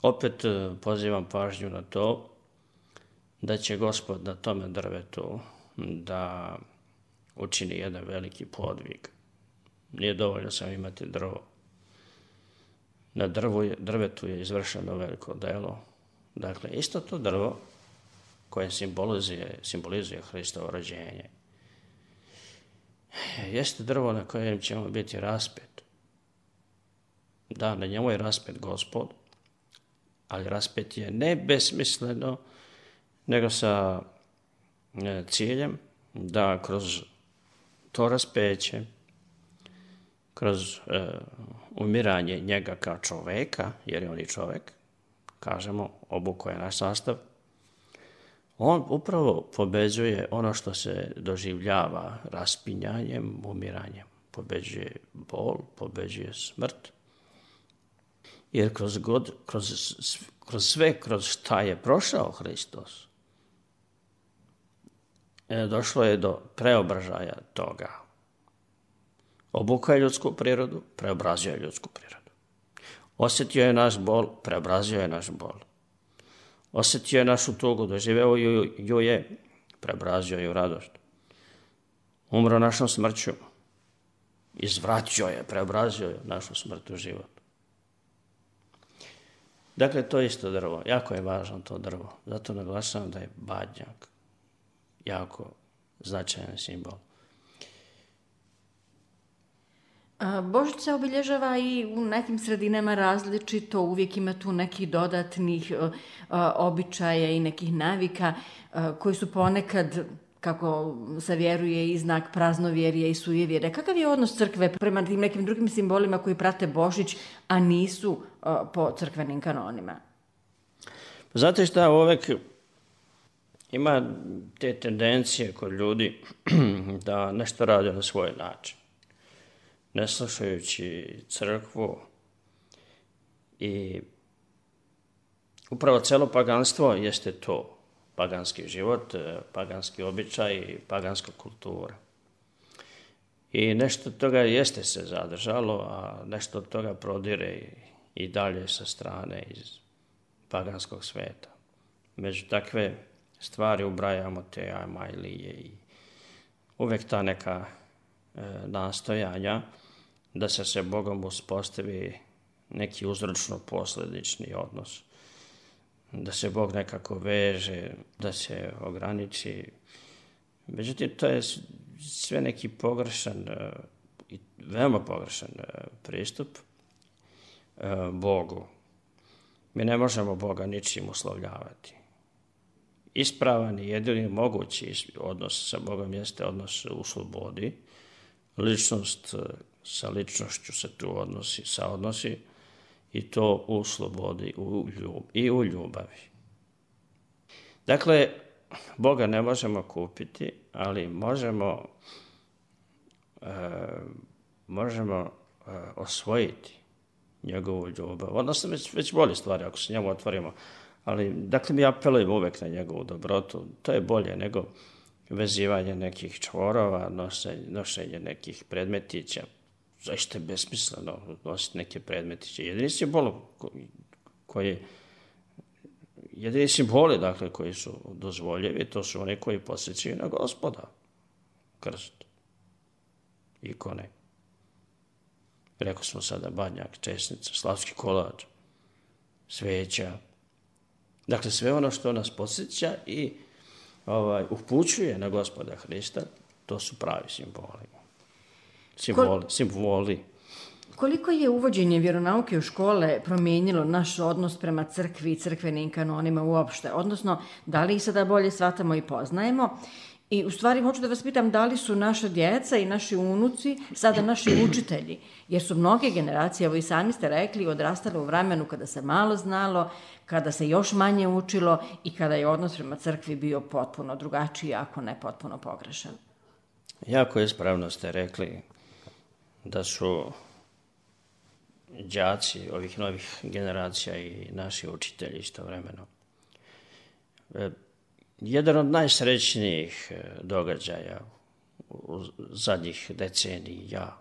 opet pozivam pažnju na to da će Gospod na tome drvetu da učini jedan veliki podvig. Nije dovoljno samo imati drvo. Na drvetu je izvršeno veliko delo. Dakle, isto to drvo koje simbolizuje Hristovo rođenje jeste drvo na kojem ćemo biti raspet. Da, na njemu je raspet Gospod, ali raspet je ne besmisleno, nego sa ciljem da kroz to raspeće, kroz umiranje njega kao čoveka, jer je on i čovek, kažemo, obukao je naš sastav, on upravo pobeđuje ono što se doživljava raspinjanjem, umiranjem. Pobeđuje bol, pobeđuje smrt. Jer kroz šta je prošao Hristos, došlo je do preobražaja toga. Obukao je ljudsku prirodu, preobrazio je ljudsku prirodu. Osjetio je naš bol, preobrazio je naš bol. Osjetio je našu tugu, doživeo ju je, preobrazio je u radost. Umro našom smrću, izvratio je, preobrazio je našu smrt u život. Dakle, to je isto drvo. Jako je važno to drvo. Zato naglašavam da je badnjak jako značajan simbol. Božić se obilježava i u nekim sredinama različito, uvijek ima tu nekih dodatnih običaja i nekih navika koji su ponekad, kako se vjeruje, i znak praznovjerja i sujevjerja. Kakav je odnos crkve prema tim nekim drugim simbolima koji prate Božić, a nisu po crkvenim kanonima? Znate šta, uvek ima te tendencije kod ljudi da nešto rade na svoj način, ne slušajući crkvu, i upravo celo paganstvo jeste to. Paganski život, paganski običaj, paganska kultura. I nešto od toga jeste se zadržalo, a nešto od toga prodire i dalje sa strane iz paganskog sveta. Među takve stvari ubrajamo te ajmajlije i uvek ta neka nastojanja da se sa Bogom uspostavi neki uzročno-posledični odnos. Da se Bog nekako veže, da se ograniči. Međutim, to je sve neki pogrešan i veoma pogrešan pristup Bogu. Mi ne možemo Boga ničim uslovljavati. Ispravan i jedini mogući odnos sa Bogom jeste odnos u slobodi. Ličnost sa ličnošću se tu saodnosi i to u slobodi i u ljubavi. Dakle, Boga ne možemo kupiti, ali možemo osvojiti njegovu ljubav. Odnosno, već bolje stvari ako se njemu otvorimo. Ali, dakle, mi apelujemo uvek na njegovu dobrotu. To je bolje nego vezivanje nekih čvorova, nošenje nekih predmetića. Zašto je besmisleno nositi neke predmetiće. Jedini simboli, dakle, koji su dozvoljevi, to su oni koji podsjećaju na Gospoda. Krst, ikone. Rekao smo sada badnjak, česnica, slavski kolač, sveća. Dakle, sve ono što nas podsjeća i upućuje na Gospoda Hrista, to su pravi simboli. Simboli. Koliko je uvođenje vjeronauke u škole promijenilo naš odnos prema crkvi i crkvenim kanonima uopšte? Odnosno, da li ih sada bolje shvatamo i poznajemo? I u stvari hoću da vas pitam da li su naša djeca i naši unuci sada naši učitelji? Jer su mnoge generacije, evo i sami ste rekli, odrastale u vremenu kada se malo znalo, kada se još manje učilo i kada je odnos prema crkvi bio potpuno drugačiji, ako ne potpuno pogrešan. Jako ispravno ste rekli da su đaci ovih novih generacija i naši učitelji istovremeno. Jedan od najsrećnijih događaja u zadnjih decenija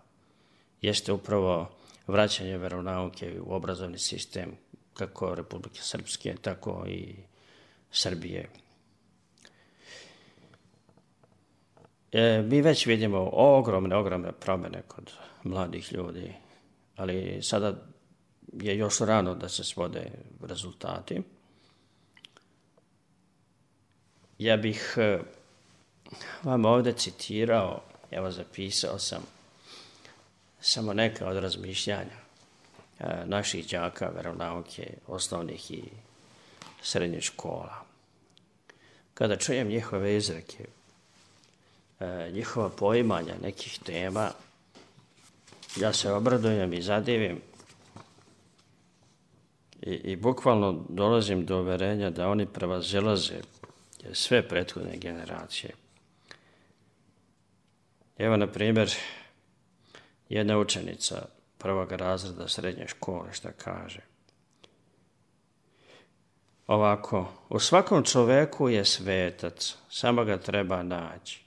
jeste upravo vraćanje veronauke u obrazovni sistem kako Republike Srpske, tako i Srbije. Mi već vidimo ogromne promjene kod mladih ljudi, ali sada je još rano da se svode rezultati. Ja bih vam ovdje citirao, evo zapisao sam samo neka od razmišljanja naših đaka veronauke, osnovnih i srednjih škola. Kada čujem njihove izreke, njihova poimanja nekih tema, ja se obradujem i zadivim i bukvalno dolazim do uverenja da oni prevazilaze sve prethodne generacije. Evo, na primjer, jedna učenica prvog razreda srednje škole šta kaže. Ovako, u svakom čoveku je svetac, samo ga treba naći.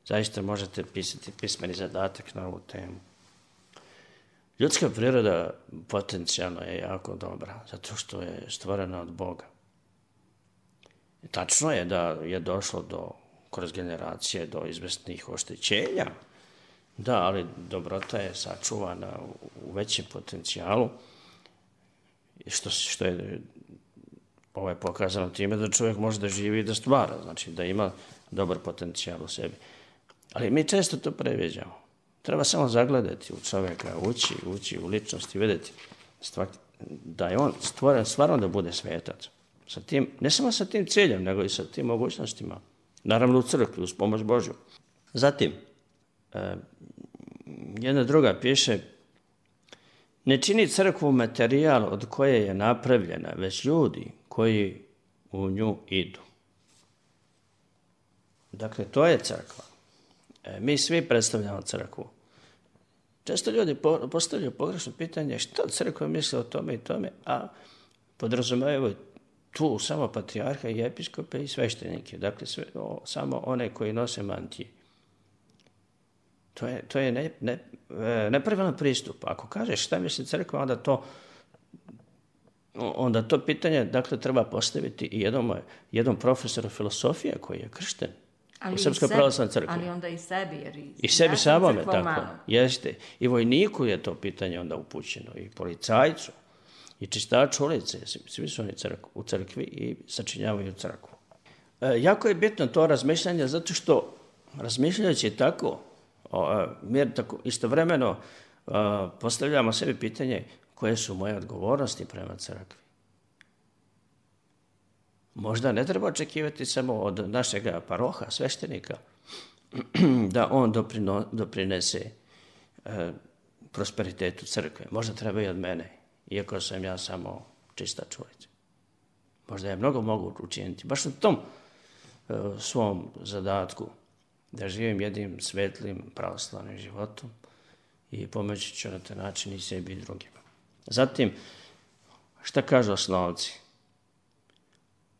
Zaista možete pisati pismeni zadatak na ovu temu. Ljudska priroda potencijalno je jako dobra, zato što je stvorena od Boga. Tačno je da je došlo kroz generacije do izvesnih oštećenja Da, ali dobrota je sačuvana u većem potencijalu, što je pokazano time da čovjek može da živi i da stvara, znači da ima dobar potencijal u sebi. Ali mi često to previđamo. Treba samo zagledati u čovjeka, ući u ličnost i vidjeti da je on stvoren stvarno da bude svetac. Sa tim, ne samo sa tim ciljem, nego i sa tim mogućnostima. Naravno u crkvi, uz pomoć Božju. Zatim, jedna druga piše, ne čini crkvu materijal od koje je napravljena, već ljudi koji u nju idu. Dakle, to je crkva. Mi svi predstavljamo crkvu. Često ljudi postavljaju pogrešno pitanje što crkva misle o tome i tome, a podrazumevaju tu samo patrijarha i episkope i sveštenike. Dakle, samo one koji nose mantije. To je nepravilan pristup. Ako kažeš šta misli crkva, onda to pitanje treba postaviti i jednom profesoru filosofije koji je kršten u Srpskoj pravoslavnoj crkvi. Ali onda i sebi. Jer i sebi samome, tako. Jeste. I vojniku je to pitanje onda upućeno, i policajcu, i čistaču ulice. Svi su oni u crkvi i sačinjavaju crkvu. Jako je bitno to razmišljanje, zato što razmišljajući tako, mi tako istovremeno postavljamo sebi pitanje koje su moje odgovornosti prema crkvi. Možda ne treba očekivati samo od našeg paroha, sveštenika, da on doprinese prosperitetu crkve. Možda treba i od mene, iako sam ja samo čistač ulice. Možda je mnogo mogu učiniti. Baš u tom svom zadatku da živim jednim svetlim pravoslavnim životom i pomoći ću na taj način i sebi i drugima. Zatim, šta kažu osnovci?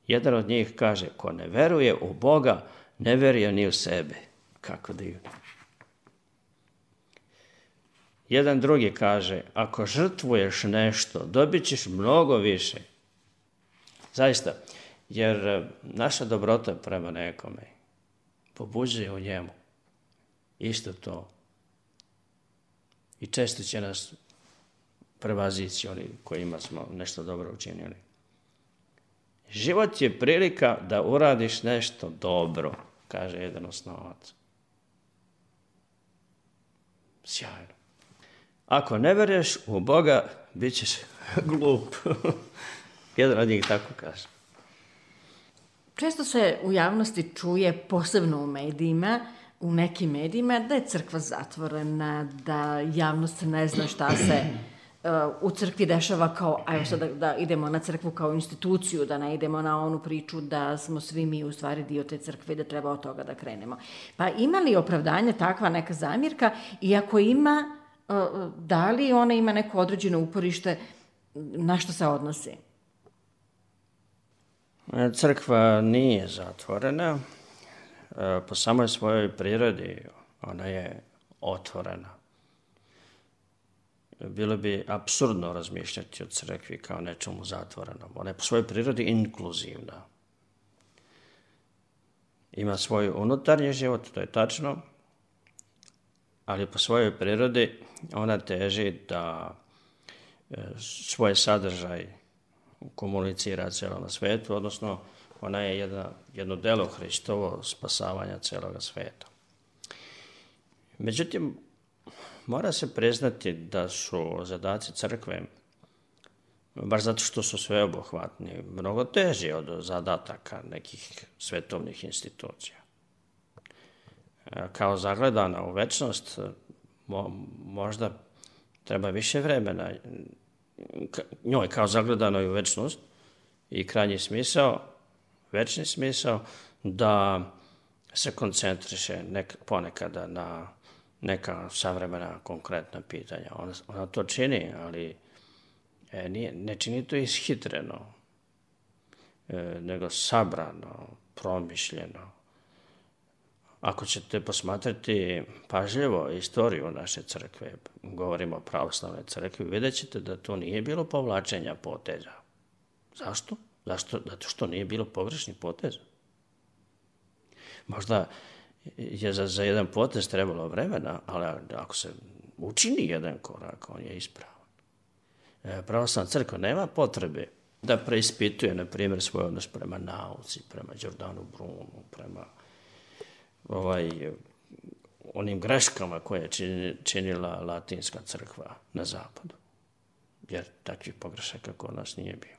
Jedan od njih kaže, ko ne veruje u Boga, ne veruje ni u sebe. Kako divno. Jedan drugi kaže, ako žrtvuješ nešto, dobit ćeš mnogo više. Zaista, jer naša dobrota prema nekome pobuđuje u njemu isto to. I često će nas prevazići oni kojima smo nešto dobro učinili. Život je prilika da uradiš nešto dobro, kaže jedan osnovac. Sjajno. Ako ne veruješ u Boga, bit ćeš glup. Jedan od njih tako kaže. Često se u javnosti čuje, posebno u medijima, u nekim medijima, da je crkva zatvorena, da javnost ne zna šta se u crkvi dešava kao, ajmo sad da idemo na crkvu kao instituciju, da ne idemo na onu priču da smo svi mi u stvari dio te crkve i da treba od toga da krenemo. Pa ima li opravdanje takva neka zamjerka i ako ima, da li ona ima neko određeno uporište, na što se odnosi? Crkva nije zatvorena. Po samoj svojoj prirodi ona je otvorena. Bilo bi apsurdno razmišljati o crkvi kao nečemu zatvorenom. Ona je po svojoj prirodi inkluzivna. Ima svoj unutarnji život, to je tačno, ali po svojoj prirodi ona teži da svoj sadržaj komunicira celom svetu, odnosno ona je jedno delo Hristovo spasavanja celoga sveta. Međutim, mora se priznati da su zadaci crkve, baš zato što su sveobuhvatni, mnogo teži od zadataka nekih svetovnih institucija. Kao zagledana u večnost, možda treba više vremena njoj kao zagledanoj u večnost i krajnji smisao, večni smisao, da se koncentriše ponekada na neka savremena konkretna pitanja. Ona to čini, ali ne čini to ishitreno, nego sabrano, promišljeno. Ako ćete posmatrati pažljivo istoriju naše crkve, govorimo o pravoslavnoj crkvi, vidjet ćete da to nije bilo povlačenja poteza. Zašto? Zato što nije bilo pogrešnih poteza. Možda je za jedan potez trebalo vremena, ali ako se učini jedan korak, on je ispravan. Pravoslavna crkva nema potrebe da preispituje, na primjer, svoj odnos prema nauci, prema Đordanu Brunu, prema onim greškama koje je činila latinska crkva na zapadu. Jer takvih pogrešaka kod nas nije bilo.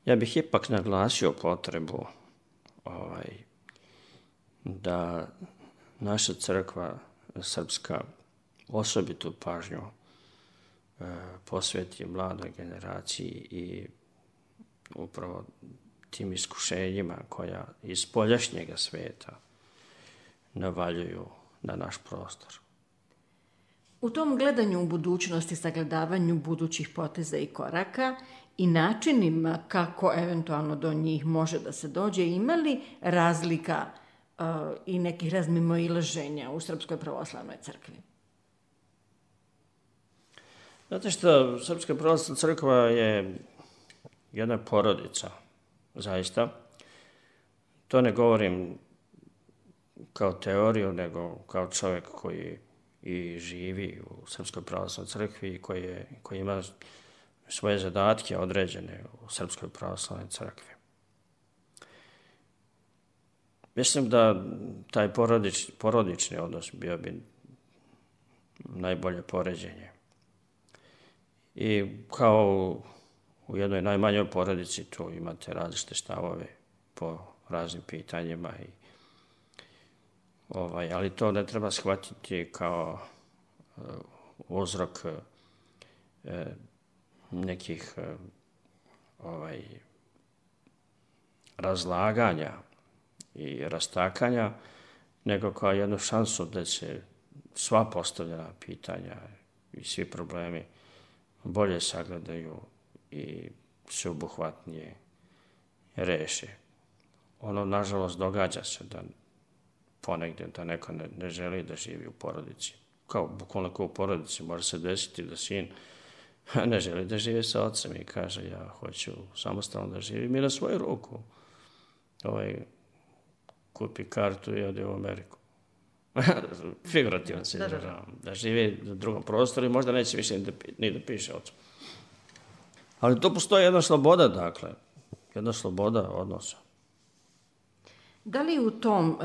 Ja bih ipak naglasio potrebu da naša crkva srpska osobitu pažnju posveti mladoj generaciji i upravo tim iskušenjima koja iz spoljašnjega sveta navaljuju na naš prostor. U tom gledanju u budućnosti, sagledavanju budućih poteza i koraka i načinima kako eventualno do njih može da se dođe, ima li razlika i nekih razmimoilaženja u Srpskoj pravoslavnoj crkvi? Znate što, Srpska pravoslavna crkva je jedna porodica, zaista. To ne govorim kao teoriju, nego kao čovjek koji i živi u Srpskoj pravoslavnoj crkvi i koji ima svoje zadatke određene u Srpskoj pravoslavnoj crkvi. Mislim da taj porodični odnos bio bi najbolje poređenje. I kao u jednoj najmanjoj porodici tu imate različite stavove po raznim pitanjima, ali to ne treba shvatiti kao uzrok nekih razlaganja i rastakanja, nego kao jednu šansu da se sva postavljena pitanja i svi problemi bolje sagledaju i sveobuhvatnije reše. Ono, nažalost, događa se da ponegdje da neko ne želi da živi u porodici. Kao bukvalno kao u porodici može se desiti da sin ne želi da živi sa ocem i kaže ja hoću samostalno da živim i na svoju ruku. Kupi kartu i ode u Ameriku. Figurativno se izražavam. Da živi u drugom prostoru i možda neće više ni da piše ocu. Ali tu postoji jedna sloboda, dakle. Jedna sloboda odnosa. Da li u tom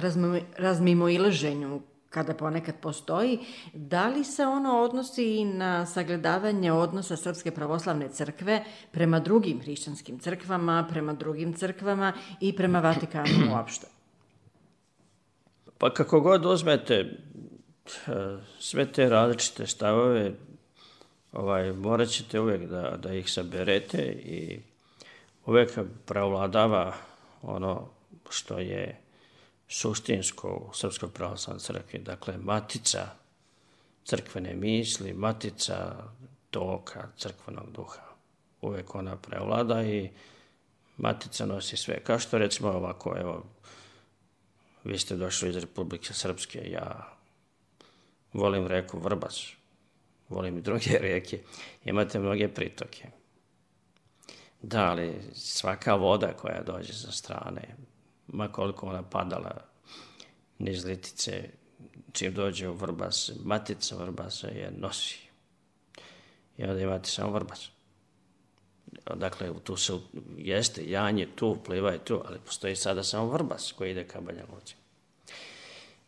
razmimoilaženju, kada ponekad postoji, da li se ono odnosi i na sagledavanje odnosa Srpske pravoslavne crkve prema drugim hrišćanskim crkvama, prema drugim crkvama i prema Vatikanu uopšte? Pa kako god uzmete sve te različite stavove, morat ćete uvijek da ih saberete i uvijek prevladava ono što je suštinsko u Srpskoj pravoslavnoj crkvi. Dakle, matica crkvene misli, matica toka crkvenog duha. Uvijek ona prevlada i matica nosi sve. Kao što recimo ovako, evo, vi ste došli iz Republike Srpske, ja volim reku Vrbas, volim i druge rijeke, imate mnoge pritoke. Da, ali svaka voda koja dođe sa strane, ma koliko ona padala niz Litice, čim dođe u Vrbas, matica Vrbasa je nosi. I onda imate samo Vrbas. Dakle, tu se jeste, Janje tu, Pliva je tu, ali postoji sada samo Vrbas koji ide ka Banja Luci.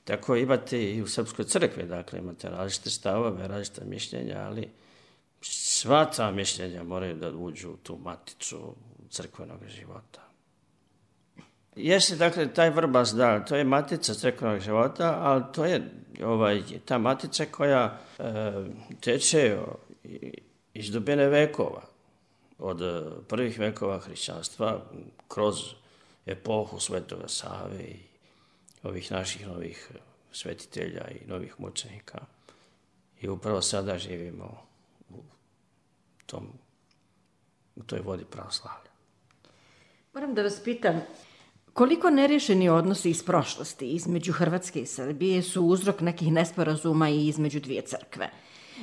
Tako imate i u Srpskoj crkvi, dakle, imate različite stavove, različite mišljenja, ali sva ta mišljenja moraju da uđu u tu maticu crkvenog života. Jeste, dakle, taj Vrbas, da, to je matica crkvenog života, ali to je ta matica koja teče iz dubine vekova, od prvih vekova hrišćanstva, kroz epohu Svetoga Save i ovih naših novih svetitelja i novih mučenika. I upravo sada živimo u toj vodi pravoslavlja. Moram da vas pitam, koliko nerješeni odnosi iz prošlosti između Hrvatske i Srbije su uzrok nekih nesporazuma i između dvije crkve?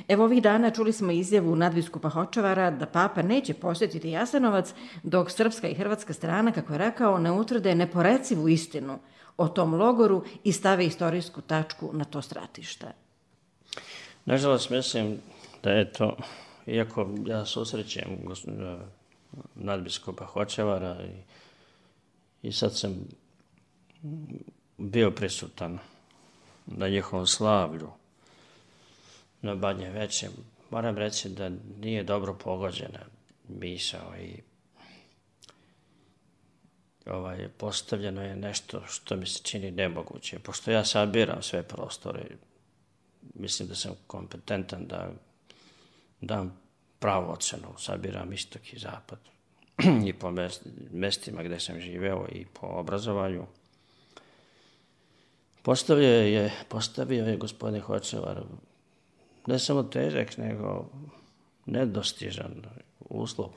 Evo ovih dana čuli smo izjavu nadbiskupa Hočevara da papa neće posjetiti Jasenovac dok srpska i hrvatska strana, kako je rekao, ne utvrde neporecivu istinu o tom logoru i stave istorijsku tačku na to stratište. Nažalost, mislim da je to, iako ja susrećem nadbiskupa Hočevara i sad sam bio prisutan na njihovom slavlju na Badnje Veče, moram reći da nije dobro pogođena misao i postavljeno je nešto što mi se čini nemoguće. Pošto ja sabiram sve prostore, mislim da sam kompetentan da dam pravu ocenu, sabiram istok i zapad i po mestima gde sam živeo i po obrazovanju. Postavio je gospodin Hočevar ne samo težak, nego nedostižan uslov.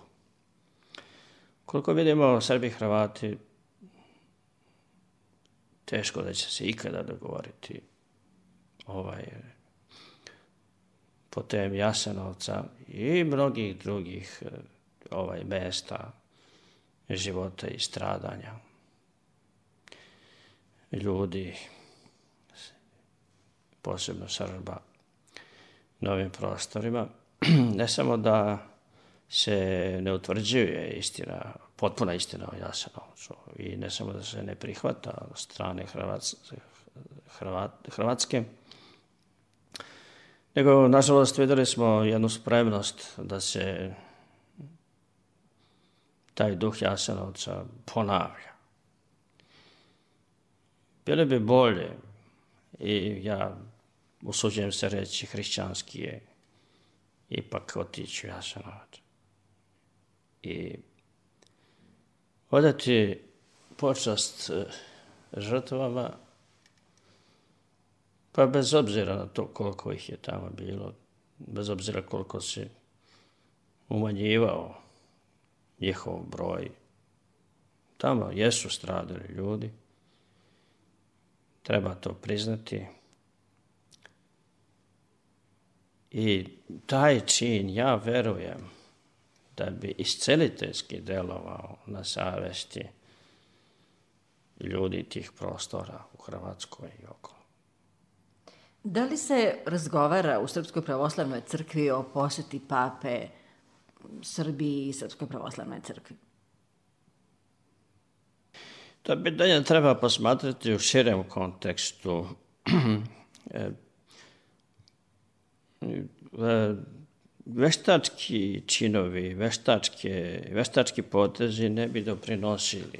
Koliko vidimo, Srbi i Hrvati teško da će se ikada dogovoriti po temi Jasenovca i mnogih drugih mesta života i stradanja ljudi, posebno Srba, na ovim prostorima. Ne samo da se ne utvrđuje istina, potpuna istina o Jasenovcu i ne samo da se ne prihvata od strane Hrvatske, nego, nažalost, videli smo jednu spremnost da se taj duh Jasenovca ponavlja. Bilo bi bolje, i ja usuđujem se reći hrišćanski je, ipak otići u Jasenovac i odati počast žrtvama, pa bez obzira na to koliko ih je tamo bilo, bez obzira koliko se umanjivao njihov broj, tamo jesu stradali ljudi, treba to priznati. I taj čin, ja verujem, da bi isceliteljski delovao na savesti ljudi tih prostora u Hrvatskoj i okolo. Da li se razgovara u Srpskoj pravoslavnoj crkvi o poseti pape Srbiji i Srpskoj pravoslavnoj crkvi? To pitanje treba posmatrati u širem kontekstu. Veštački činovi, veštački potezi ne bi doprinosili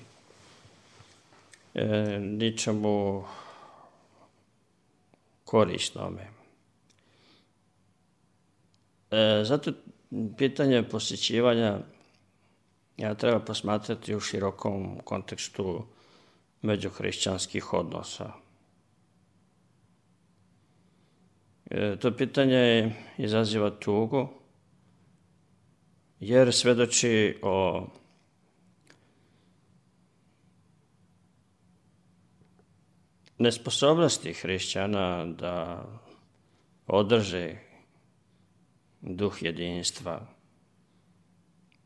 ničemu korisnome. Zato pitanje posjećivanja treba posmatrati u širokom kontekstu međuhrišćanskih odnosa. To pitanje izaziva tugu, jer svedoči o nesposobnosti hrišćana da održe duh jedinstva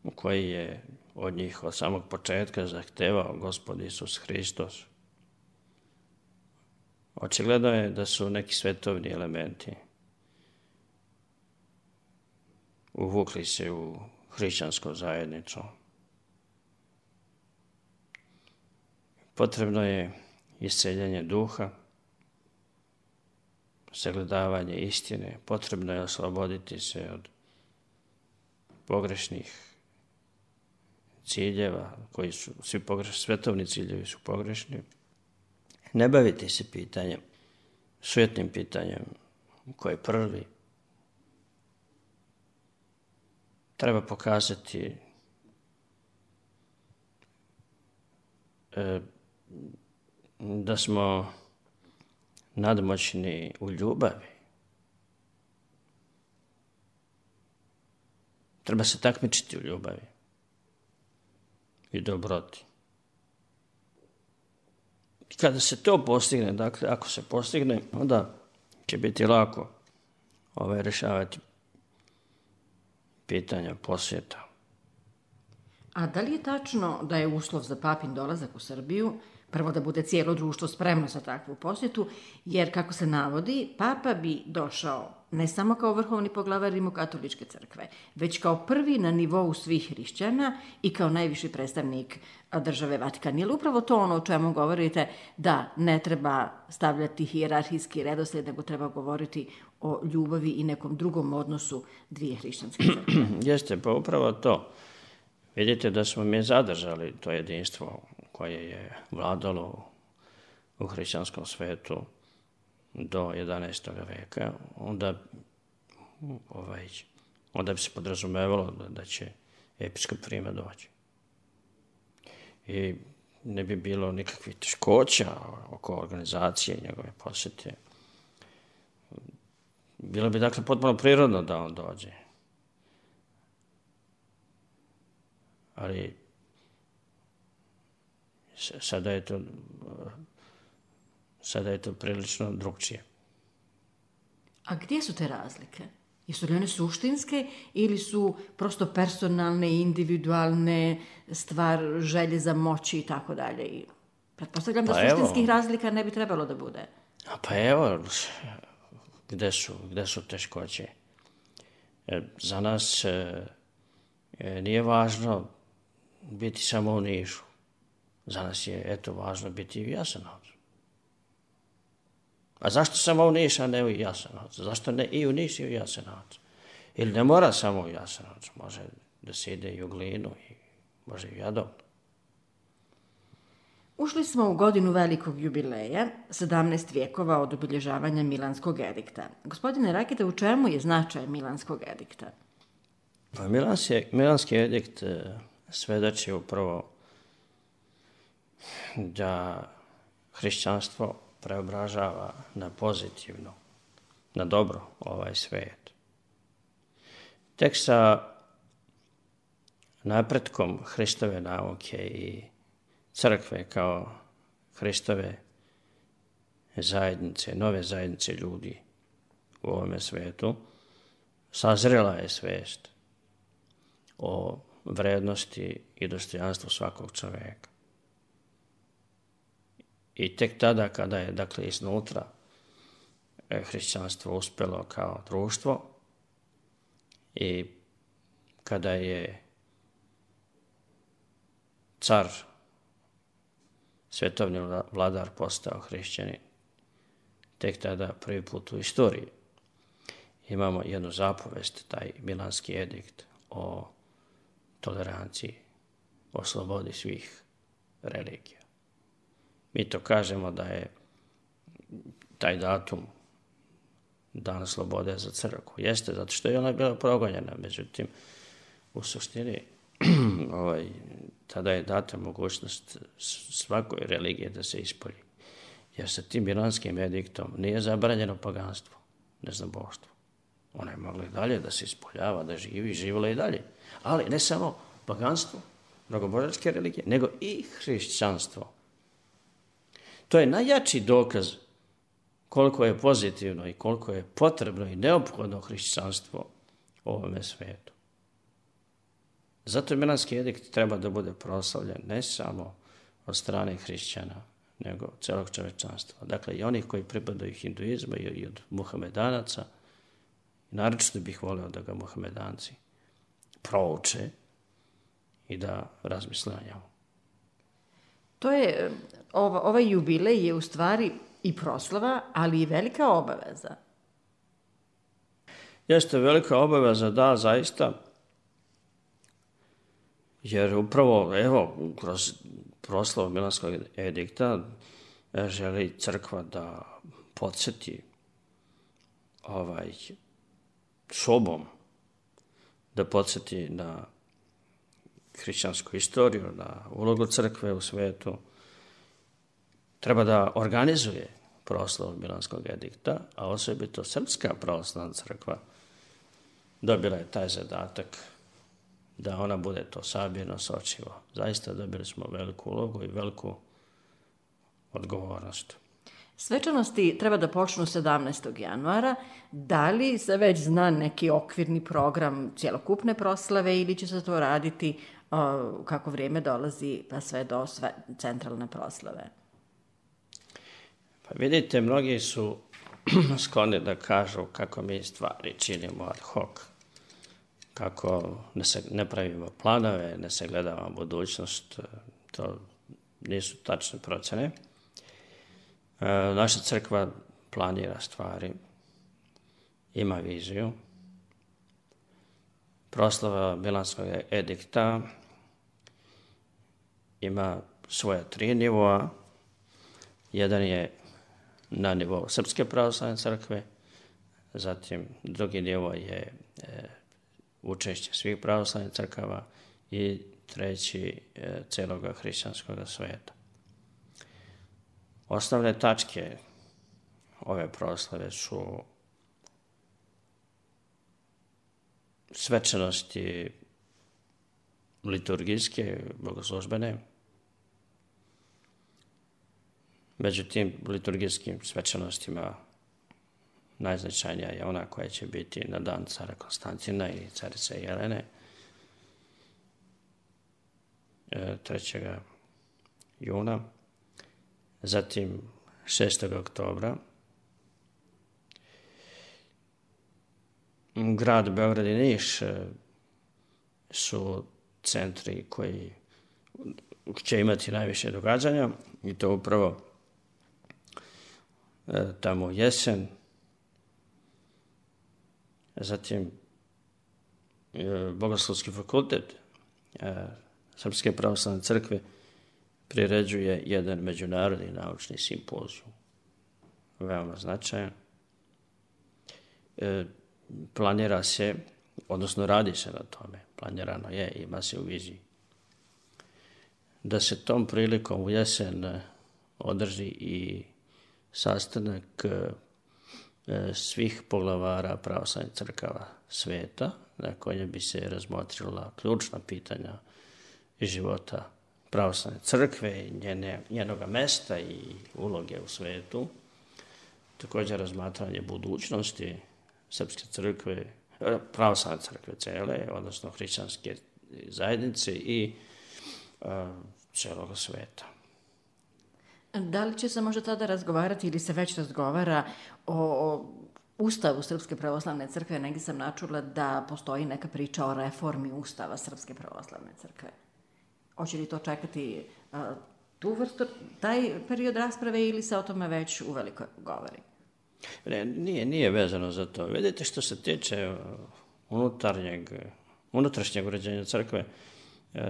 u koji je od njih od samog početka zahtevao Gospod Isus Hristos. Očigledno je da su neki svetovni elementi uvukli se u hrišćansku zajednicu. Potrebno je isceljenje duha, sagledavanje istine, potrebno je osloboditi se od pogrešnih ciljeva, koji su svi pogrešni, svetovni ciljevi su pogrešni. Ne baviti se pitanjem, sujetnim pitanjem, ko je prvi. Treba pokazati da smo nadmoćni u ljubavi. Treba se takmičiti u ljubavi i dobroti. I kada se to postigne, dakle, ako se postigne, onda će biti lako rješavati pitanja posjeta. A da li je tačno da je uslov za papin dolazak u Srbiju prvo da bude cijelo društvo spremno za takvu posjetu, jer, kako se navodi, papa bi došao ne samo kao vrhovni poglavar Rimokatoličke crkve, već kao prvi na nivou svih hrišćana i kao najviši predstavnik države Vatikan. Je li upravo to ono o čemu govorite, da ne treba stavljati hijerarhijski redoslijed, nego treba govoriti o ljubavi i nekom drugom odnosu dvije hrišćanske crkve? Jeste, pa upravo to. Vidite da smo mi zadržali to jedinstvo koje je vladalo u hrišćanskom svetu do 11. veka, onda bi se podrazumevalo da će episkop Rima doći. I ne bi bilo nikakvih teškoća oko organizacije njegove posjete. Bilo bi dakle potpuno prirodno da on dođe. Ali sada je to prilično drugčije. A gdje su te razlike? Jesu li one suštinske ili su prosto personalne, individualne, stvar želje za moći i tako dalje? I pretpostavljam da suštinskih razlika ne bi trebalo da bude. Pa evo, gde su teškoće? Za nas nije važno biti samo u Nišu. Za nas je, važno biti i u Jasenovcu. A zašto samo u Niš, a ne u Jasenovcu? Zašto ne i u Niš i u Jasenovcu? Ili ne mora samo u Jasenovcu, može da se ide i u Glinu, i može i u Jadovnu. Ušli smo u godinu velikog jubileja, 17 vijekova od obilježavanja Milanskog edikta. Gospodine Rakita, u čemu je značaj Milanskog edikta? Pa Milanski edikt svedoči upravo da hrišćanstvo preobražava na pozitivno, na dobro ovaj svijet. Tek sa napretkom Hristove nauke i crkve kao Hristove zajednice, nove zajednice ljudi u ovome svijetu, sazrela je svijest o vrednosti i dostojanstvu svakog čovjeka. I tek tada kada je, dakle, iznutra hrišćanstvo uspjelo kao društvo i kada je car, svetovni vladar postao hrišćanin, tek tada prvi put u istoriji imamo jednu zapovest, taj Milanski edikt o toleranciji, o slobodi svih religija. Mi to kažemo da je taj datum Dan slobode za crkvu. Jeste, zato što je ona bila progonjena, međutim, u suštini tada je data mogućnost svakoj religije da se ispolji. Jer sa tim Milanskim ediktom nije zabranjeno paganstvo, neznaboštvo. Ona je mogla i dalje da se ispoljava, da živi, živjela i dalje. Ali ne samo paganstvo, mnogobožanske religije, nego i hrišćanstvo. To je najjači dokaz koliko je pozitivno i koliko je potrebno i neophodno hrišćanstvo u ovome svijetu. Zato Milanski edikt treba da bude proslavljen ne samo od strane hrišćana, nego celog čovječanstva. Dakle, i onih koji pripadaju hinduizmu i od muhamedanaca. Naročito bih volio da ga muhamedanci prouče i da razmisle o njemu. To je, ovaj jubilej je u stvari i proslava, ali i velika obaveza. Jeste velika obaveza, da, zaista, jer upravo, kroz proslavu Milanskog edikta želi crkva da podsjeti sobom, da podsjeti na hrišćansku istoriju, na ulogu crkve u svijetu. Treba da organizuje proslavu Milanskog edikta, a osobito Srpska pravoslavna crkva dobila je taj zadatak da ona bude to sabirno sočivo. Zaista dobili smo veliku ulogu i veliku odgovornost. Svečanosti treba da počnu 17. januara. Da li se već zna neki okvirni program cjelokupne proslave ili će se to raditi kako vrijeme dolazi pa sve do centralne proslave? Pa vidite, mnogi su skloni da kažu kako mi stvari činimo ad hoc, kako ne pravimo planove, ne sagledavamo budućnost, to nisu tačne procene. Naša crkva planira stvari, ima viziju. Proslava Milanskog edikta ima svoja 3 nivoa. Jedan je na nivou Srpske pravoslavne crkve, zatim drugi nivo je učešće svih pravoslavnih crkava i treći celoga hrišćanskog sveta. Osnovne tačke ove proslave su svečanosti liturgijske, bogoslužbene. Među tim liturgijskim svečanostima najznačajnija je ona koja će biti na dan cara Konstantina i carice Jelene 3. juna. Zatim 6. oktobra. Grad Beograd i Niš su centri koji će imati najviše događanja i to upravo tamo u jesen. Zatim Bogoslovski fakultet Srpske pravoslavne crkve priređuje jedan međunarodni naučni simpozijum, veoma značajan. Planira se, odnosno radi se na tome, planirano je, ima se u viziji, da se tom prilikom u jesen održi i sastanak svih poglavara pravoslavnih crkava sveta, na kojem bi se razmotrila ključna pitanja života pravoslavne crkve, njenoga mesta i uloge u svetu. Također razmatranje budućnosti Srpske crkve, pravoslavne crkve cele, odnosno hrišćanske zajednice i celog sveta. Da li će se možda tada razgovarati ili se već razgovara o Ustavu Srpske pravoslavne crkve? Negdje sam načula da postoji neka priča o reformi Ustava Srpske pravoslavne crkve. Hoće li to čekati tu vrstu, taj period rasprave ili se o tome već uveliko govori? Ne, nije vezano za to. Vidite, što se tiče unutrašnjeg uređenja crkve,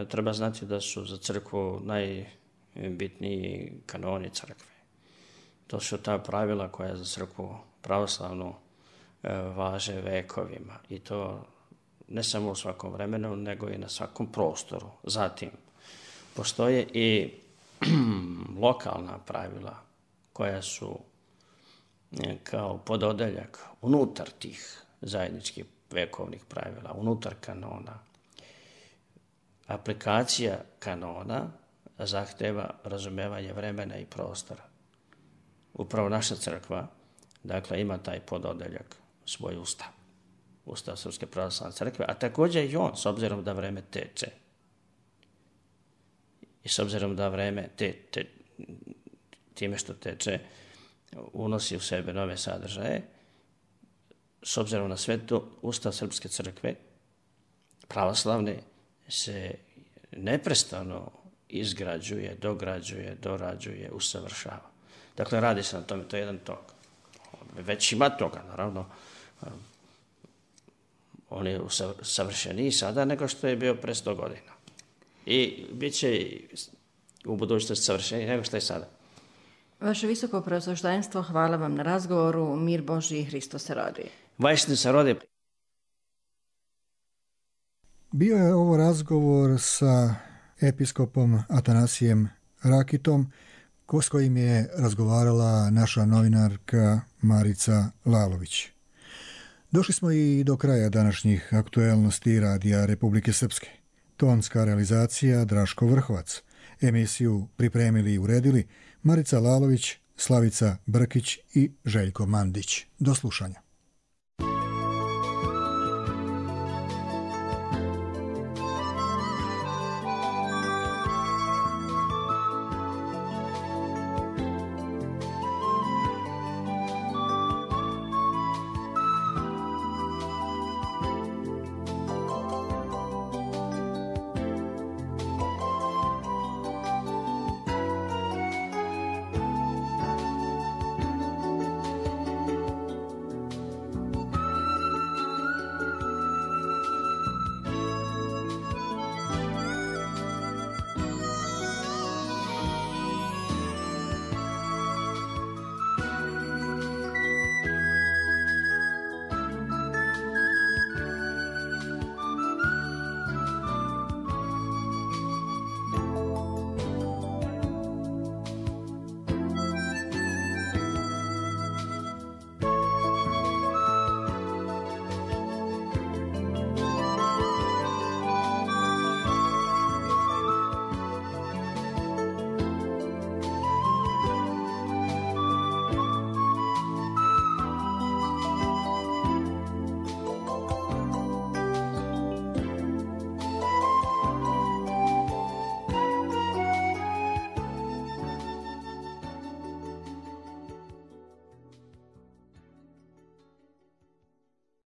treba znati da su za crkvu najbitniji kanoni crkve. To su ta pravila koja za crkvu pravoslavnu važe vekovima i to ne samo u svakom vremenu, nego i na svakom prostoru. Zatim, postoje i lokalna pravila koja su kao pododeljak unutar tih zajedničkih vekovnih pravila, unutar kanona. Aplikacija kanona zahteva razumevanje vremena i prostora. Upravo naša crkva, dakle, ima taj pododeljak, svoj ustav. Ustav Srpske pravoslavne crkve, a također i on, s obzirom da vreme teče. I s obzirom da vreme time što teče, unosi u sebe nove sadržaje, s obzirom na sve to, Ustav Srpske crkve pravoslavne se neprestano izgrađuje, dograđuje, dorađuje, usavršava. Dakle, radi se na tome, to je jedan tok. Već ima toga, naravno. On je savršeniji sada nego što je bio pre 100 godina. I bit će u budućnosti savršeniji nego što je sada. Vaše visoko preosveštenstvo, hvala vam na razgovoru. Mir Božji i Hristos se rodi. Vajštini se rodi. Bio je ovo razgovor sa episkopom Atanasijem Rakitom, s kojim je razgovarala naša novinarka Marica Lalović. Došli smo i do kraja današnjih aktuelnosti Radija Republike Srpske. Tonska realizacija Draško Vrhovac. Emisiju pripremili i uredili Marica Lalović, Slavica Brkić i Željko Mandić. Do slušanja.